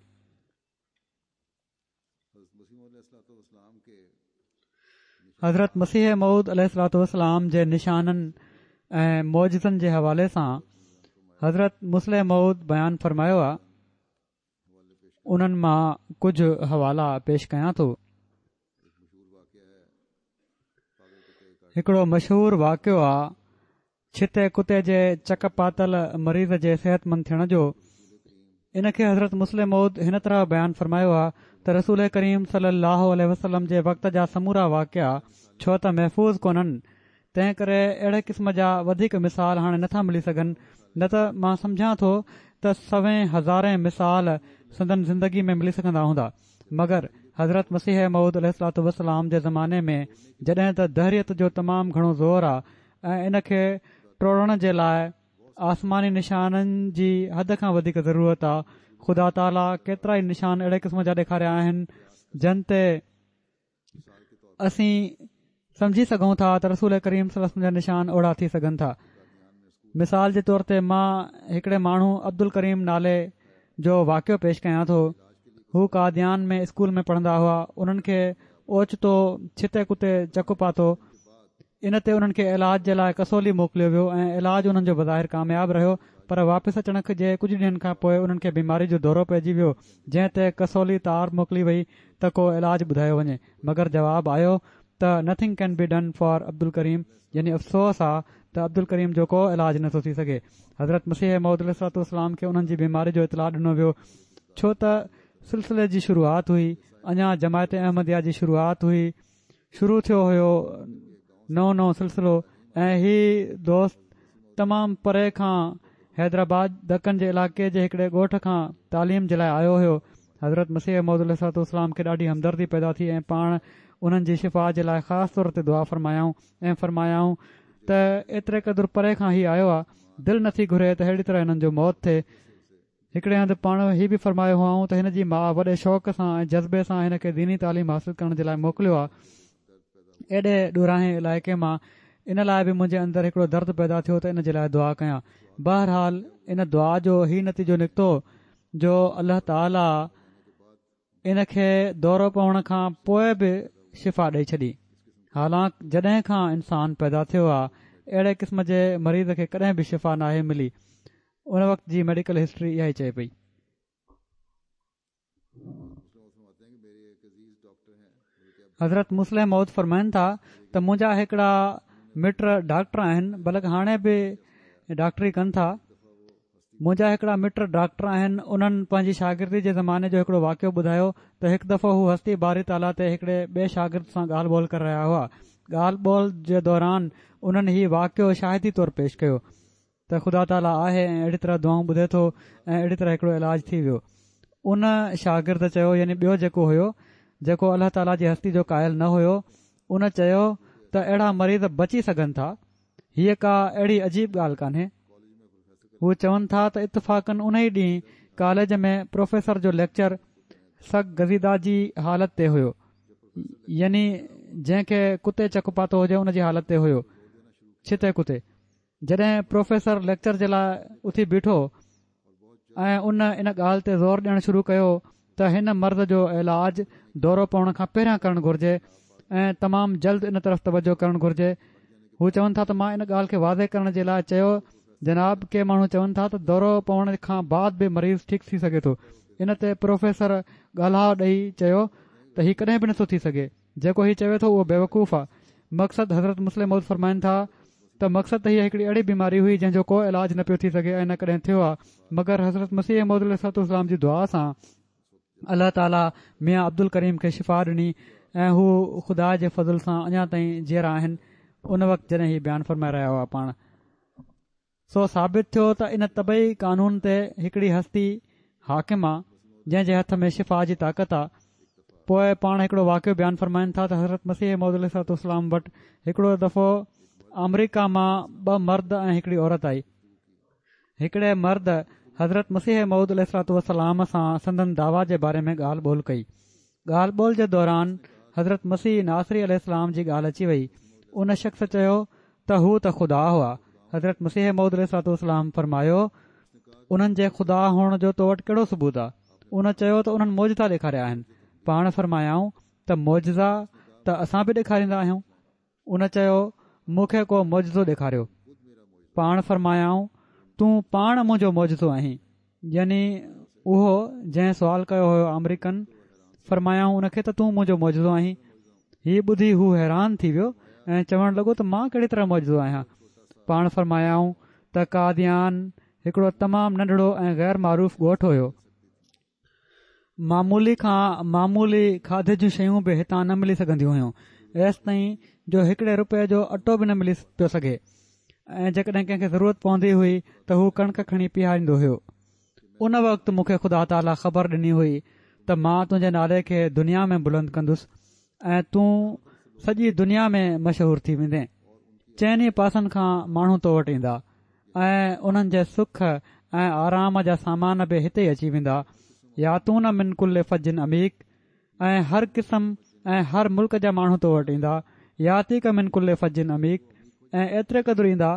حضرت مسيح موعود عليه الصلوة والسلام جي نشانن ۽ معجزن جي حوالي سان حضرت مصلح موعود بيان فرمايو آهي انهن مان ڪجهه حوالا پيش ڪيان ٿو. هڪڙو مشهور واقعو آ ڇتي ڪتي جي چڪ پاتل مريض جي صحتمند ٿيڻ جو. ان کي حضرت مصلح موعود هن طرح بيان فرمايو آ ته رسول ڪريم صلي الله عليه وسلم جي وقت جا سمورا واقعا ڇو ته محفوظ ڪونهن تنهن ڪري اهڙي قسم جا وڌيڪ مثال هاڻي نٿا ملي سگهن نه ته مان سمجهان ٿو ته سوين هزارين مثال سندن زندگي ۾ ملي سگهندا هوندا مگر حضرت مسيح موعود عليه الصلوة والسلام جي زماني ۾ جڏهن ته دهريت جو تمام گهڻو زور آ ۽ ان کي ٽوڙڻ جي لاء آسماني نشانن جي حد کان وڌيڪ ضرورت آ خدا تعاليٰ ڪيترائي نشان اهڙي قسم جا ڏيکاريا آهن جن تي اسين سمجهي سگهون ٿا ته رسول ڪريم صلي الله عليه وسلم جا نشان اهڙا ٿي سگهن ٿا مثال جي طور تي مان هڪڙي ماڻهو عبدالڪريم نالي جو واقعو پيش ڪيان ٿو هو قاديان ۾ اسڪول ۾ پڙهندا هئا انهن کي اوچتو ڇتي ڪتي چڪ پاتو ان تي انهن کي علاج جي لاء ڪسولي موڪليو ويو ۽ علاج انهن جو بظاهر ڪامياب رهيو پر واپس اچڻ جي ڪجهه ڏينهن کان پوء انهن کي بيماري جو دورو پئجي ويو جنهن تي ڪسولي تار موڪلي وئي ته ڪو علاج ٻڌايو وڃي مگر جواب آيو ته Nothing can be done for Abdul Karim يعني افسوس آ ته عبدالڪريم جو ڪو علاج نٿو ٿي سگهي. حضرت مسيح موعود عليه الصلوة والسلام کي انهن جي بيماري جو اطلاع ڏنو ويو ڇو ته سلسلي جي شروعات هئي اڃا جماعت احمديه جي شروعات هئي شروع ٿيو هيو نئون نئون سلسلو ۽ هي دوست تمام پري کان حيدرآباد دڪن جي علائقي جي هڪڙي ڳوٺ کان تعليم جي لاء آيو هيو حضرت مسيح موعود عليه الصلوة والسلام کي ڏاڍي همدردي پيدا ٿي ۽ پاڻ انهن جي شفا جي لاء خاص طور تي دعا فرمايائون ۽ فرمايائون ته ايتري قدر پري کان هي آيو آ دل نٿي گهري ته ههڙي طرح هنن جو موت ٿئي هڪڙي هنڌ پاڻ هي به فرمايو هئائون ته هن جي ماء وڏي شوق سان ۽ جذبي سان هن کي ديني تعليم حاصل ڪرڻ جي لاء موڪليو آهي ايڏي ڏورانهين علائقي مان ان لاء به منهنجي اندر هڪڙو درد پيدا ٿيو ته ان جي لاء دعا ڪيان بهرحال ان دعا جو هي نتيجو نڪتو جو الله تعالي ان کي دورو پوڻ کان پوء به شفا ڏئي ڇڏي حالانڪ جڏهن کان انسان پيدا ٿيو آهي اهڙي قسم جي مريض کي ڪڏهن به شفا ناهي ملي ان وقت جي ميڊيڪل هسٽري اها ئي چئي پئي. حضرت مصلح موعود فرمائن ٿا ته منهنجا هڪڙا مٽ ڊاڪٽر آهن بلڪ هاڻي به ڊاڪٽري ڪن ٿا منهنجا هڪڙا مٽ ڊاڪٽر آهن انهن پنهنجي شاگردي جي زماني جو هڪڙو واقعو ٻڌايو ته هڪ دفعو هو هستي باري تعاليٰ تي هڪڙي ٻئي شاگرد سان ڳالهه ٻولهه ڪري رهيا هئا ڳالهه ٻولهه جي دوران انهن هي واقعو شاهدي طور پيش ڪيو ته خدا تعاليٰ آهي ۽ اهڙي طرح دعائون ٻڌي ٿو ۽ اهڙي طرح هڪڙو علاج ٿي ويو. ان شاگرد چيو يعني ٻيو جيڪو هيو جيڪو الله تعاليٰ جي هستي جو قائل نه هيو ان چيو ته اهڙا مريض بچي سگهن ٿا هيء ڪا اهڙي عجيب ڳالهه ڪانهي. هو چون ٿا ته اتفاقن ان ئي ڏينهن ڪاليج ۾ پروفيسر جو ليڪچر سگ گزيده جي حالت تي هيو يعني جنهن کي ڪتي چڪ پاتو هجي ان جي حالت تي هيو ڇتي ڪتي جڏهن پروفيسر ليڪچر جي لاء اٿي بيٺو. ۽ ان ان ڳالهه تي زور ڏيڻ شروع ڪيو ته هن مرض جو علاج دورو پوڻ کان پهريان ڪرڻ گهرجي ۽ تمام جلد ان طرف توجه ڪرڻ گهرجي. هو چون ٿا ته مان ان ڳالهه کي واضح ڪرڻ جي لاء چيو جناب ڪي ماڻهو چون ٿا ته دورو پوڻ کان بعد به مريض ٺيڪ ٿي سگهي ٿو. ان تي پروفيسر ڳالها ڏئي چيو ته هي ڪڏهن به نٿو ٿي سگهي. جيڪو هي چوي ٿو اهو بيوقوف آ. مقصد حضرت مصلح موعود فرمائن ٿا ته مقصد ته هيء هڪڙي اهڙي بيماري هئي جنهن جو ڪو علاج نه پيو ٿي سگهي ۽ نه ڪڏهن ٿيو آ مگر حضرت مسيح موعود عليه الصلوة والسلام جي دعا سان الله تعالي ميان عبدالڪريم کي شفا ڏني ۽ هو خدا جي فضل سان اڃا تائين جيئرا آهن ان وقت جڏهن هي بيان فرمائي رهيا هئا پاڻ سو ثابت ٿيو ته ان طبعي قانون تي هڪڙي هستي حاڪم آ جنهن جي هٿ ۾ شفا جي طاقت آ. پوء پاڻ هڪڙو واقعو بيان فرمائن ٿا ته حضرت مسيح موعود عليه الصلوة والسلام وٽ هڪڙو دفعو آمريڪا مان ٻه مرد ۽ هڪڙي عورت آئي. هڪڙي مرد حضرت مسيح موعود عليه الصلوة والسلام سان سندن دعويٰ جي باري ۾ ڳالهه ٻولهه ڪئي. ڳالهه ٻولهه جي دوران حضرت مسيح ناصري عليه السلام جي ڳالهه اچي وئي. ان شخص چيو ته هو ته خدا هئا. حضرت مسيح موعود عليه الصلوة والسلام فرمايو، انهن جي خدا هئڻ جو تو وٽ ڪهڙو ثبوت آ؟ ان چيو ته انهن معجزا ڏيکاريا آهن. پاڻ فرمايائون ته معجزا ته اسان به ڏيکاريندا آهيون. ان چيو، مون کي ڪو معجزو ڏيکاريو. پاڻ فرمايائون، تون پاڻ منهنجو معجزو آهين. يعني اهو جنهن سوال ڪيو هيو آمريڪن، فرمايائون ان کي ته تون منهنجو معجزو آهين. هي ٻڌي هو حيران ٿي ويو ۽ چوڻ لڳو ته مان ڪهڙي طرح معجزو آهيان؟ پاڻ فرمايائون ته قاديان هڪڙو تمام ننڍڙو ۽ غير معروف ڳوٺ هيو. معمولي کان معمولي کاڌي جون شيون به هتان نه ملي سگهنديون هيون ايستائين جو هڪڙي رپئي جو اٽو به نه ملي پيو سگهي ۽ جيڪڏهن ڪنهن کي ضرورت پوندي هئي ته هو ڪڻڪ کڻي پيهاريندو هيو ان وقت مون کي خدا تعاليٰ خبر ڏني هئي ته مان تنهنجي نالي کي دنيا ۾ بلند ڪندس ۽ تون سڄي دنيا ۾ مشهور ٿي ويندين چئني پاسن کان ماڻهو تو وٽ ايندا ۽ انهن جي سک ۽ آرام جا سامان به هتي ئي اچي ويندا، ياتون من ڪل فج عميق ۽ هر قسم ۽ هر ملڪ جا ماڻهو تو وٽ ايندا، ياتيڪ من ڪل فج عميق ۽ ايتري قدر ايندا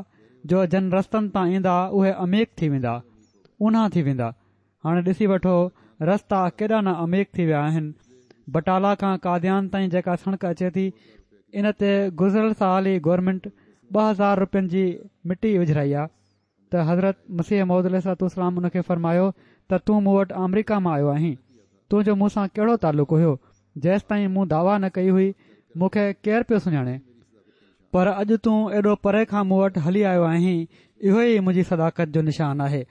جو جن رستن تان ايندا اهي عميق ٿي ويندا، اونها ٿي ويندا. هاڻي ڏسي وٺو رستا ڪيڏا نه عميق ٿي ويا آهن. بٽالا کان قاديان تائين جيڪا سڙڪ اچي ٿي ان تي گذريل سال ئي گورنمينٽ 2000 روپين جي مٽي وجهرائي آ ته حضرت مسيح موعود عليه الصلوة والسلام ان کي فرمايو ته تون مون وٽ آمريڪا مان آيو آهين تنهنجو مون سان ڪهڙو تعلق هيو جيستائين مون دعويٰ نه ڪئي هئي مون کي ڪير پيو سڃاڻي پر اڄ تون ايڏو پري کان مون وٽ هلي آيو آهين، اهو ئي منهنجي صداقت جو نشان آهي.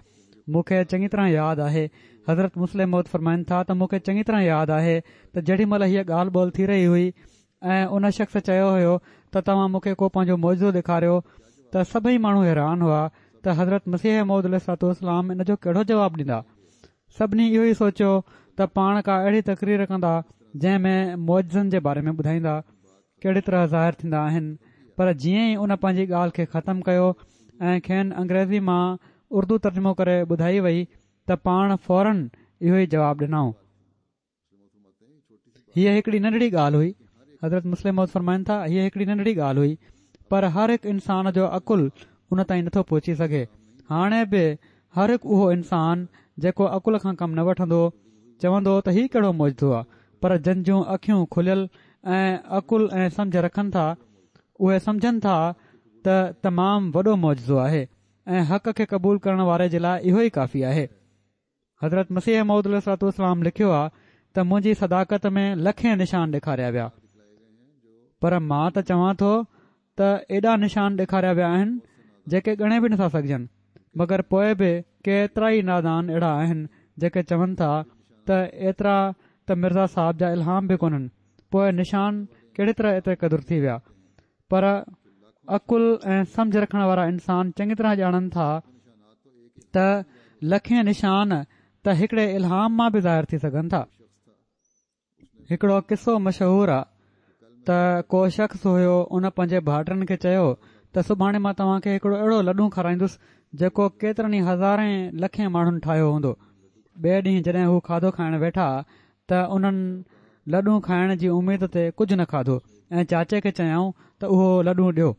مون کي چڱي طرح ياد آهي، حضرت مصلح موعود فرمائن ٿا ته مون کي چڱي طرح ياد آهي ته جيڏي مهل هيء ڳالهه ٻولهه ٿي رهي هئي ۽ ان شخص چيو هيو ته توهان مون کي ڪو پنهنجو معجزو ڏيکاريو ته سڀئي ماڻهو حيران هئا ته حضرت مسيح موعود عليه الصلوة والسلام ان جو ڪهڙو جواب ڏيندا. سڀني اهو ئي سوچيو ته پاڻ ڪا اهڙي تقرير ڪندا جنهن ۾ معجزن جي باري ۾ ٻڌائيندا. ڪهڙي طرح ظاهر ٿيندا آهن پر جيئن ئي ان پنهنجي ڳالهه کي ختم ڪيو ۽ کين انگريزي مان اردو ترجمو ڪري ٻڌائي وئي ته پاڻ فورن اهو ئي جواب ڏنائون. هيء هڪڙي ننڍڙي ڳالهه هئي. حضرت مصلح موعود فرمائن ٿا، هيء هڪڙي ننڍڙي ڳالهه هئي پر هر هڪ انسان جو عقل ان تائين نٿو پهچي سگهي. هاڻي به هر هڪ اهو انسان جيڪو عقل کان ڪم نه وٺندو چوندو ته هي ڪهڙو معجزو آ پر جن جون اکيون کليل ۽ عقل ۽ سمجهه رکن ٿا اهي سمجهن ٿا ته تمام وڏو معجزو آهي ۽ حق کي قبول ڪرڻ واري جي لاء اهو ئي ڪافي آهي. حضرت مسيح موعود عليه الصلوة والسلام لکيو آ ته منهنجي صداقت ۾ لکين نشان ڏيکاريا ويا پر مان ته چوان ٿو ته ايڏا نشان ڏيکاريا ويا آهن جيڪي ڳڻي به نٿا سگهجن مگر پوء به ڪيترائي نادان اهڙا آهن جيڪي چون ٿا ته ايترا ته مرزا صاحب جا الهام به ڪونهن پوء نشان ڪهڙي طرح ايتري قدر ٿي ويا پر عقل ۽ سمجهه رکڻ وارا انسان چڱي طرح ڄاڻن ٿا ته لکين نشان ته هڪڙي الهام مان به ظاهر ٿي سگهن ٿا. هڪڙو قصو مشهور آ ته ڪو شخص هيو ان پنهنجي ڀائٽن کي چيو ته سڀاڻي مان توهان کي هڪڙو اهڙو لڏون کارائيندس جيڪو ڪيترن ئي هزارين لکين ماڻهن ٺاهيو هوندو. ٻئي ڏينهن جڏهن هو کاڌو کائڻ ويٺا ته انهن لڏون کائڻ جي اميد تي ڪجهه نه کاڌو ۽ چاچي کي چيائون ته اهو لڏون ڏيو.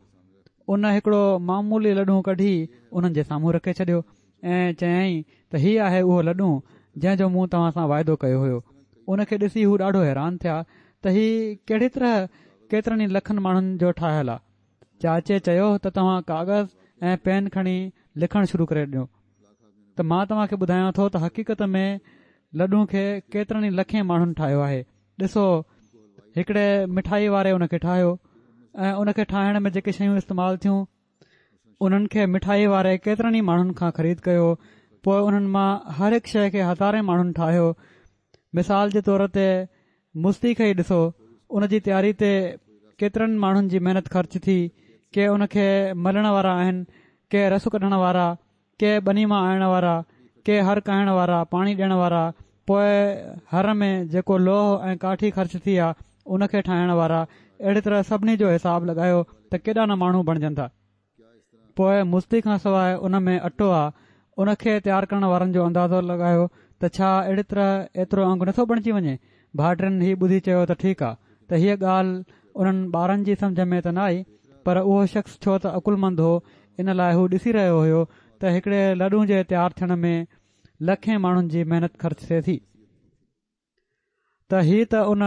ان هڪڙو معمولي لڏون ڪڍي انهن جي سامهون رکي ڇڏيو. ۽ چيائين ته هي آهي اهو لڏون جنهن جو مون توهان سان واعدو ڪيو هيو. ان کي ڏسي هو ڏاڍو حيران ٿيا ته هي ڪهڙي طرح ڪيترن ئي لکن ماڻهن جو ٺاهيل آ. چاچي چيو ته توهان ڪاغذ ۽ پين کڻي لکڻ شروع ڪري ڏيو ته مان توهان کي ٻڌايان ٿو ته حقيقت ۾ لڏون کي ڪيترن ئي لکين ماڻهن ٺاهيو آهي. ڏسو هڪڙي مٺائي واري ان کي ٺاهيو ۽ ان کي ٺاهڻ ۾ جيڪي شيون استعمال ٿيون انهن کي مٺائي واري ڪيترن ئي ماڻهن کان خريد ڪيو پوء انهن مان هر هڪ شيء کي هزارين ماڻهن ٺاهيو مثال جي طور تي مستي کي ئي ڏسو ان جي تياري تي ڪيترن ماڻهن جي محنت خرچ ٿي ڪي ان کي ملڻ وارا آهن ڪي رس ڪڍڻ وارا ڪي ٻني مان آڻڻ وارا، ڪي هر ڪاهڻ وارا، پاڻي ڏيڻ وارا، پوء هر ۾ جيڪو لوهه ۽ ڪاٺي خرچ ٿي آ، ان کي ٺاهڻ وارا، اهڙي طرح سڀني جو حساب لڳايو ته ڪيڏا نه ماڻهو بڻجن ٿا. پوء مستي کان سواء ان ۾ اٽو آ، ان کي تيار ڪرڻ وارن جو اندازو لڳايو ته ڇا اهڙي طرح ايترو انگ نٿو بڻجي وڃي؟ ڀائٽين هي ٻڌي چيو ته ٺيڪ آ ته هيء ڳالهه انهن ٻارن جي سمجهه ۾ ته نه آئي پر اهو شخص ڇو ته عقلمند هو ان لاء هو ڏسي رهيو هيو ته هڪڙي لڏون جي تيار ٿيڻ ۾ لکين ماڻهن جي محنت خرچ ٿئي ٿي ته هي ته ان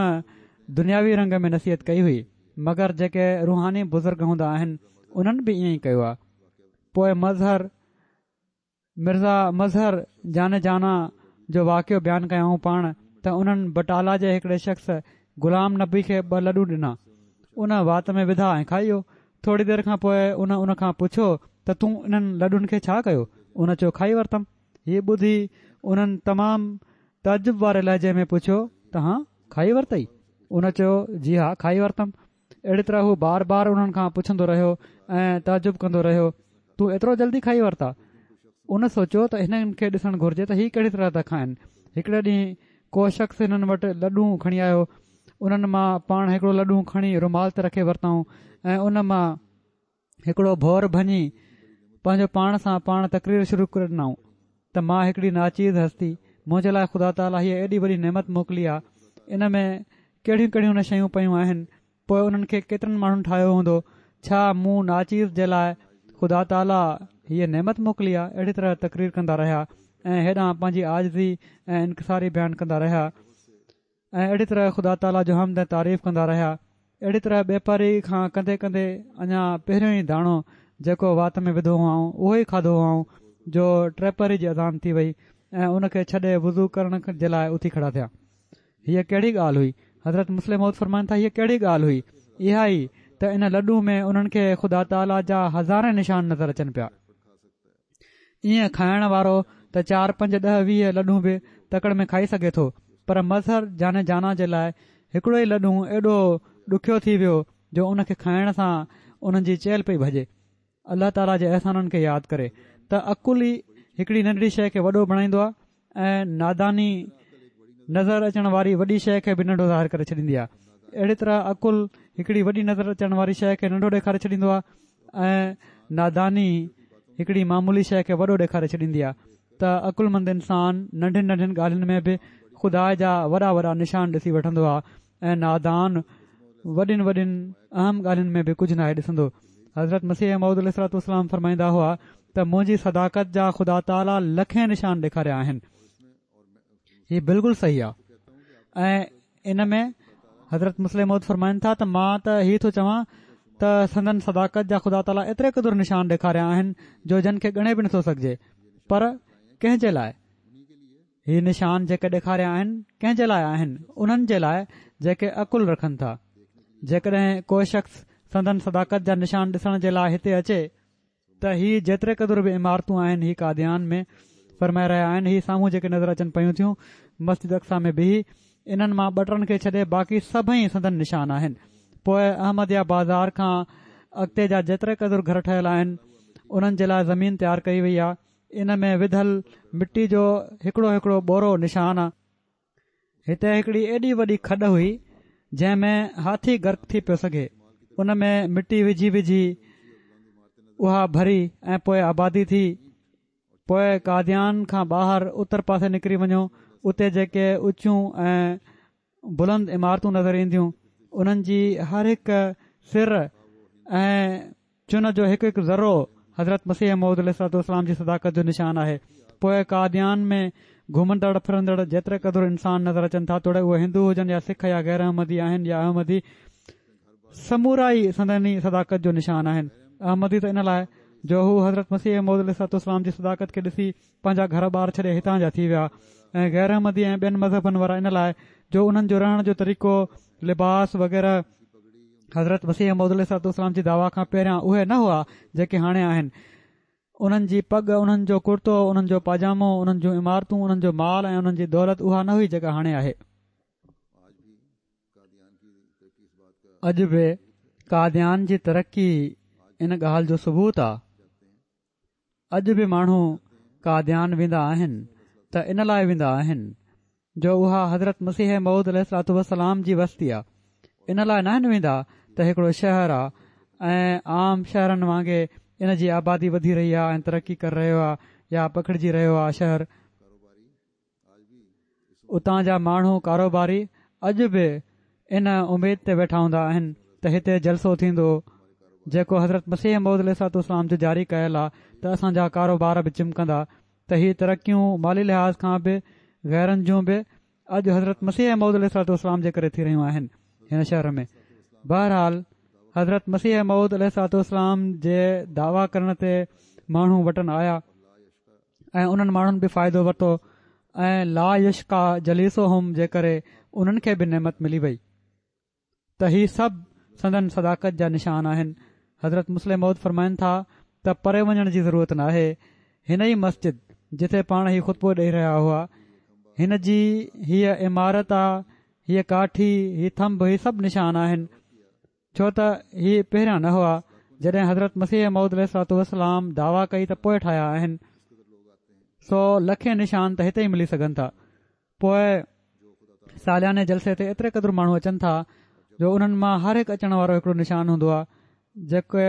دنياوي رنگ ۾ نصيحت ڪئي هئي مگر جيڪي روحاني بزرگ هوندا آهن انهن به ائين ئي ڪيو آ پوء مظهر مرزا مظهر جان جانان جو واقعو بيان ڪيائون پاڻ ته انهن بٽالا جي هڪڙي شخص غلام نبي کي ٻه لڏون ڏنا ان وات ۾ وڌا ۽ کائي ويو ٿوري دير کان پوء ان ان کان پڇيو ته تون انهن لڏن کي ڇا ڪيو ان چيو کائي ورتم هي ٻڌي انهن تمام تعجب واري لهجي ۾ پڇيو ته هان کائي ورتئي ان چيو جي ها کائي ورتم اهڙي طرح هو بار بار انهن کان پڇندو رهيو ۽ تعجب ڪندو رهيو، تون ايترو جلدي کائي ورتا؟ ان سوچيو ته هنن کي ڏسڻ گهرجي ته هي ڪهڙي طرح ٿا کائن. هڪڙي ڏينهن ڪو شخص هنن وٽ لڏون کڻي آيو. انهن مان پاڻ هڪڙو لڏون کڻي رومال تي رکي ورتائون ۽ ان مان هڪڙو ڀور ڀڃي پنهنجو پاڻ سان پاڻ تقرير شروع ڪري ڏنائون ته مان هڪڙي ناچيز هستي منهنجي لاء خدا تعاليٰ هيء ايڏي وڏي نعمت موڪلي آ ان ۾ ڪهڙيون ڪهڙيون نه شيون پيون آهن پوء انهن کي ڪيترن ماڻهن ٺاهيو هوندو ڇا مون ناچيز جي لاء خدا تعاليٰ هيء نعمت موڪلي آ اهڙي طرح تقرير ڪندا رهيا ۽ هيڏانهن پنهنجي عاجزي ۽ انڪساري بيان ڪندا رهيا ۽ اهڙي طرح خدا تعاليٰ جو حمد ۽ تعريف ڪندا رهيا. اهڙي طرح ٻپهري کان ڪندي ڪندي اڃا پهريون ئي داڻو جيڪو وات ۾ وڌو هئائون اهو ئي کاڌو هئائون جو ٽيپهري جي اذان ٿي وئي ۽ ان کي ڇڏي وضو ڪرڻ جي لاء اٿي کڙا ٿيا. هيء ڪهڙي ڳالهه هئي؟ حضرت مصلح موعود فرمائن ٿا هيء ڪهڙي ڳالهه هئي؟ اها ئي ته ان لڏون ۾ انهن کي خدا تعاليٰ جا هزارين نشان نظر اچن پيا. ائين کائڻ وارو ته چار پنج ڏهه 20 لڏون به تڪڙ ۾ کائي سگهي ٿو پر مظهر جان جانان جي لاء هڪڙو ئي لڏون ايڏو ڏکيو ٿي ويو جو ان کي کائڻ سان انهن جي چيلهه پئي ڀڄي. الله تعاليٰ جي احسانن کي ياد ڪري ته عقل ئي هڪڙي ننڍڙي شيء کي وڏو بڻائيندو آهي ۽ ناداني نظر اچڻ واري وڏي شيء کي به ننڍو ظاهر ڪري ڇڏيندي آهي اهڙي طرح عقل هڪڙي وڏي نظر اچڻ واري شيء کي ننڍو ڏيکاري ڇڏيندو آهي ۽ ناداني هڪڙي معمولي شيء کي وڏو ڏيکاري ڇڏيندي آهي ته عقلمند انسان ننڍين ننڍين ڳالهين ۾ به خدا جا وڏا وڏا نشان ڏسي وٺندو آهي ۽ نادان وڏين وڏين اهم ڳالهين ۾ به ڪجهه ناهي ڏسندو. حضرت مسيح موعود عليه الصلوة والسلام فرمائيندا هئا ته منهنجي صداقت جا خدا تعاليٰ لکين نشان ڏيکاريا آهن. هي بلڪل صحيح آهي ۽ ان ۾ حضرت مصلح موعود فرمائن ٿا ته مان ته هي ٿو چوان ته سندن صداقت جا خدا تعاليٰ ايتري قدر نشان ڏيکاريا آهن جو جن کي ڳڻي به نٿو سگهجي پر ڪنهن جي لاء هي نشان جيڪي ڏيکاريا آهن ڪنهن جي لاء آهن؟ انهن جي لاء جيڪي عقل رکن ٿا. جيڪڏهن ڪو شخص سندن صداقت جا نشان ڏسڻ جي لاء هتي اچي ته هي جيتري قدر به عمارتون آهن هي قاديان ۾ فرمائي رهيا آهن هي سامهون جيڪي نظر اچن پيون ٿيون مسجد اقصيٰ ۾ بيهي انهن مان ٻه ٽن کي ڇڏي باقي سڀئي سندن نشان آهن. پوء احمديه بازار کان اڳتي جا جيتري قدر گهر ٺهيل آهن انهن جي لاء زمين تيار ڪئي وئي آهي ان ۾ وڌل مٽي جو هڪڙو هڪڙو ٻورو نشان آ. هتي هڪڙي ايڏي وڏي کڏ هئي، جنهن ۾ هاٿي غرق ٿي پيو سگهي. ان ۾ مٽي وجهي وجهي اها ڀري ۽ پوء آبادي ٿي. پوء قاديان کان ٻاهر اتر پاسي نڪري وڃو، اتي جيڪي اچيون ۽ بلند عمارتون نظر اينديون، انهن جي هر هڪ سر ۽ چن جو هڪ هڪ ذرو حضرت مسيح موعود عليه الصلوة والسلام جي صداقت جو نشان آهي. پوء قاديان ۾ گهمندڙ ڦرندڙ جيتري قدر انسان نظر اچن ٿا توڙي اهي هندو هجن يا سک يا غير احمدي آهن يا احمدي سمورا ئي سندن ئي صداقت جو نشان آهن. احمدي ته ان لاء جو هو حضرت مسيح موعود عليه الصلوة والسلام جي صداقت کي ڏسي پنهنجا گهر ٻار ڇڏي هتان جا ٿي ويا ۽ غير احمدي ۽ ٻين مذهبن وارا ان لاء جو انهن جو رهڻ جو طريقو، لباس وغيره حضرت مسيح موعود عليه الصلوة والسلام جي دعويٰ کان پهريان اهي نه هئا جيڪي هاڻي آهن. انهن جي پڳ، انهن جو ڪرتو، انهن جو پاجامو، انهن جون عمارتون، انهن جو مال ۽ انهن جي دولت اها نه هئي جيڪا هاڻي آهي. اڄ به قاديان جي ترقي ان ڳالهه جو ثبوت آ. اڄ به ماڻهو قاديان ويندا آهن ته ان لاء ويندا آهن جو اها حضرت مسيح موعود عليه الصلوة والسلام جي وستي آ ان لاء ناهن ويندا ته هڪڙو شهر آ ۽ عام شهرن وانگي ان جي آبادي وڌي رهي آ ۽ ترقي ڪري رهيو آ يا پکڙجي رهيو آ شهر. اتان جا ماڻهو ڪاروباري اڄ به ان اميد تي ويٺا هوندا آهن ته هتي جلسو ٿيندو جيڪو حضرت مسيح موعود عليه الصلوة والسلام جو جاري ڪيل آ ته اسان جا ڪاروبار به چمڪندا ته هي ترقيون مالي لحاظ کان به غيرن جون به اڄ حضرت مسيح موعود عليه الصلوة والسلام جي ڪري ٿي رهيون آهن هن شهر ۾ بهرحال حضرت مسيح موعود عليه الصلوة والسلام جي دعويٰ ڪرڻ تي ماڻهو وٽن آيا ۽ انهن ماڻهن به فائدو ورتو ۽ لا يشقيٰ جليسهم جي ڪري انهن کي به نعمت ملي وئي ته هي سڀ سندن صداقت جا نشان آهن. حضرت مصلح موعود فرمائن ٿا ته پري وڃڻ جي ضرورت ناهي هن ئي مسجد جتي پاڻ هي خطبو ڏئي رهيا هئا هن جي هيء عمارت آ هيء ڪاٺي هي ٿنڀ هي سڀ نشان آهن ڇو ته هي پهريان نه هئا، جڏهن حضرت مسيح موعود عليه الصلوة والسلام دعويٰ ڪئي ته پوء ٺاهيا آهن، سو لکين نشان ته هتي ئي ملي سگهن ٿا. پوء سالياني جلسي تي ايتري قدر ماڻهو اچن ٿا جو انهن مان هر هڪ اچڻ وارو هڪڙو نشان هوندو آهي جيڪي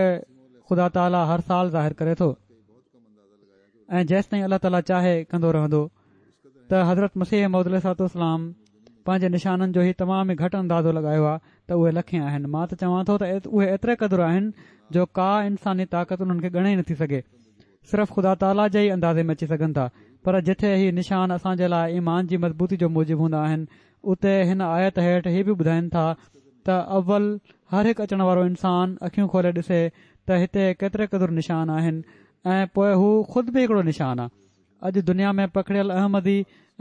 خدا تعاليٰ هر سال ظاهر ڪري ٿو ۽ جيستائين الله تعاليٰ چاهي ڪندو رهندو ته حضرت مسيح موعود عليه الصلوة والسلام پنهنجي نشانن جو هي تمام ئي گهٽ اندازو لڳايو آهي ته اهي لکين آهن مان ته چوان ٿو ته اهي ايتري قدر آهن جو ڪا انساني طاقت انهن کي ڳڻي ئي نٿي سگهي صرف خدا تعاليٰ جي ئي اندازي ۾ اچي سگهن ٿا پر جتي هي نشان اسان جي لاء ايمان جي مضبوطي جو موجب هوندا آهن اتي هن آيت هيٺ هي به ٻڌائين ٿا ته اول هر هڪ اچڻ وارو انسان اکيون کولي ڏسي ته هتي ڪيتري قدر نشان آهن ۽ پوء هو خود به هڪڙو نشان آهي اڄ دنيا ۾ پکڙيل احمدي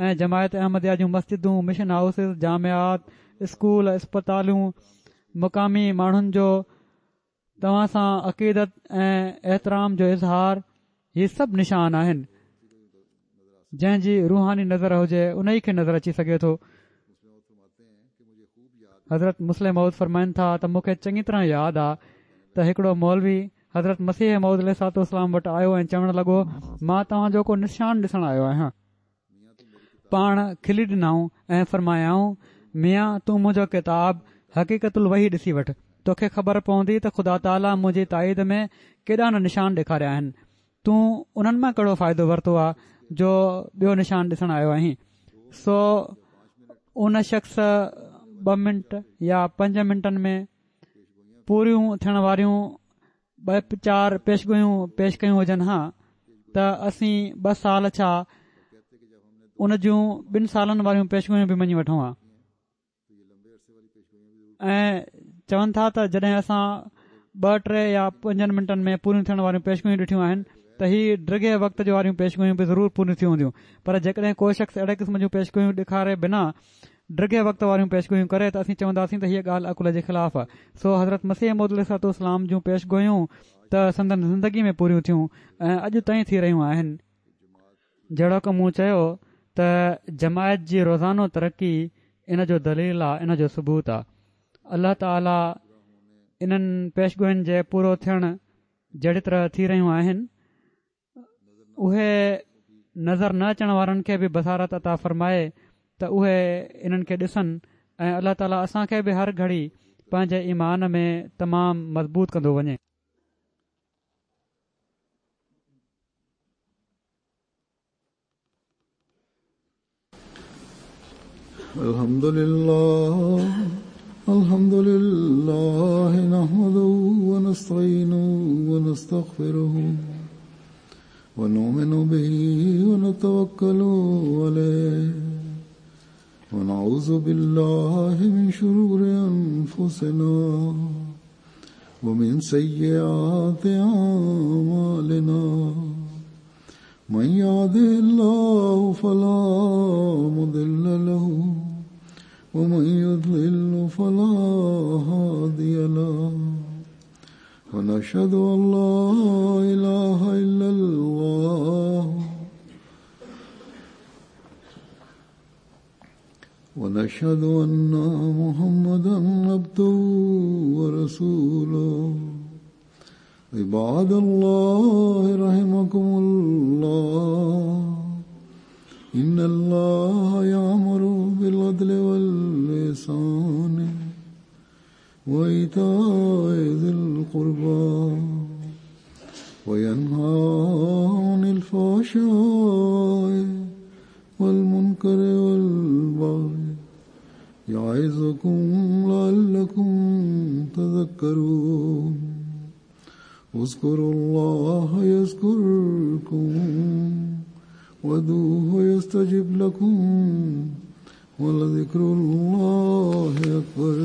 ۽ جماعت احمديه جون مسجدون، مشن هائوسز، جامعات، اسڪول، اسپتالون، مقامي ماڻهن جو توهان سان عقيدت ۽ احترام جو اظهار هي سڀ نشان آهن. جنهن جي روحاني نظر هجي انهي کي نظر اچي سگهي ٿو. حضرت مصلح موعود فرمائن ٿا ته مون کي چڱي طرح ياد آ ته هڪڙو مولوي حضرت مسيح موعود عليه الصلوة والسلام وٽ آيو ۽ چوڻ لڳو مان توهان جو ڪو نشان ڏسڻ آيو آهيان. پاڻ کلي ڏنائون ۽ فرمايائون ميان تون منهنجو ڪتاب حقيقت الوحي ڏسي وٺ توکي خبر پوندي ته خدا تعاليٰ منهنجي تائيد ۾ ڪيڏا نه نشان ڏيکاريا آهن تون انهن مان ڪهڙو فائدو ورتو آ جو ٻيو نشان ڏسڻ آيو آهين سو ان شخص ٻه منٽ يا پنج منٽن ۾ پوريون ٿيڻ واريون ٻه چار پيشگويون پيش ڪيون هجن ها ته اسين ٻه سال ڇا ان جون ٻن سالن واريون پيشگويون به مڃي وٺون ها ۽ چون ٿا ته جڏهن اسان ٻه ٽي يا پنجن منٽن ۾ پوريون ٿيڻ واريون پيشگويون ڏٺيون آهن ته هي ڊگهي وقت جو واريون پيشگويون به ضرور پوريون ٿيون هونديون پر جيڪڏهن ڪو شخص اهڙي قسم جون پيشگويون ڏيکاري بنا ڊگهي وقت واريون پيشگويون ڪري ته اسين چونداسين ته هيء ڳالهه عقل جي خلاف آهي. سو حضرت مسيح موعود عليه الصلوة والسلام جون پيشگويون ته سندن زندگي ۾ پوريون ٿيون ۽ اڄ تائين ٿي رهيون آهن. جهڙوڪ مون چيو ته جماعت جي روزانو ترقي ان جو دليل آ ان جو ثبوت آ. الله تعالي انهن پيشگوين جي پورو ٿيڻ جهڙي طرح ٿي رهيون آهن اهي نظر نه اچڻ وارن کي به بصارت عطا فرمائي ته اهي انهن کي ڏسن ۽ الله تعالي اسان کي به هر گهڙي پنهنجي ايمان ۾ تمام مضبوط ڪندو وڃي. الحمد لله الحمد لله نحمده ونستعينه ونستغفره. ونؤمن به ونتوكل عليه ونعوذ بالله من شرور أنفسنا ومن سيئات أعمالنا من يهده الله فلا مضل له ومن يضلل فلا هادي له ونشهد أن لا إله إلا الله ونشهد أن محمدا عبده ورسوله. عباد الله رحمكم الله، إن الله يأمر بالعدل والإحسان وإيتاء ذي القربى وينهى عن الفحشاء والمنكر والبغي يعظكم لعلكم تذكرون. اذكروا الله يذكركم وادعوه يستجب لكم ولذكر الله أكبر.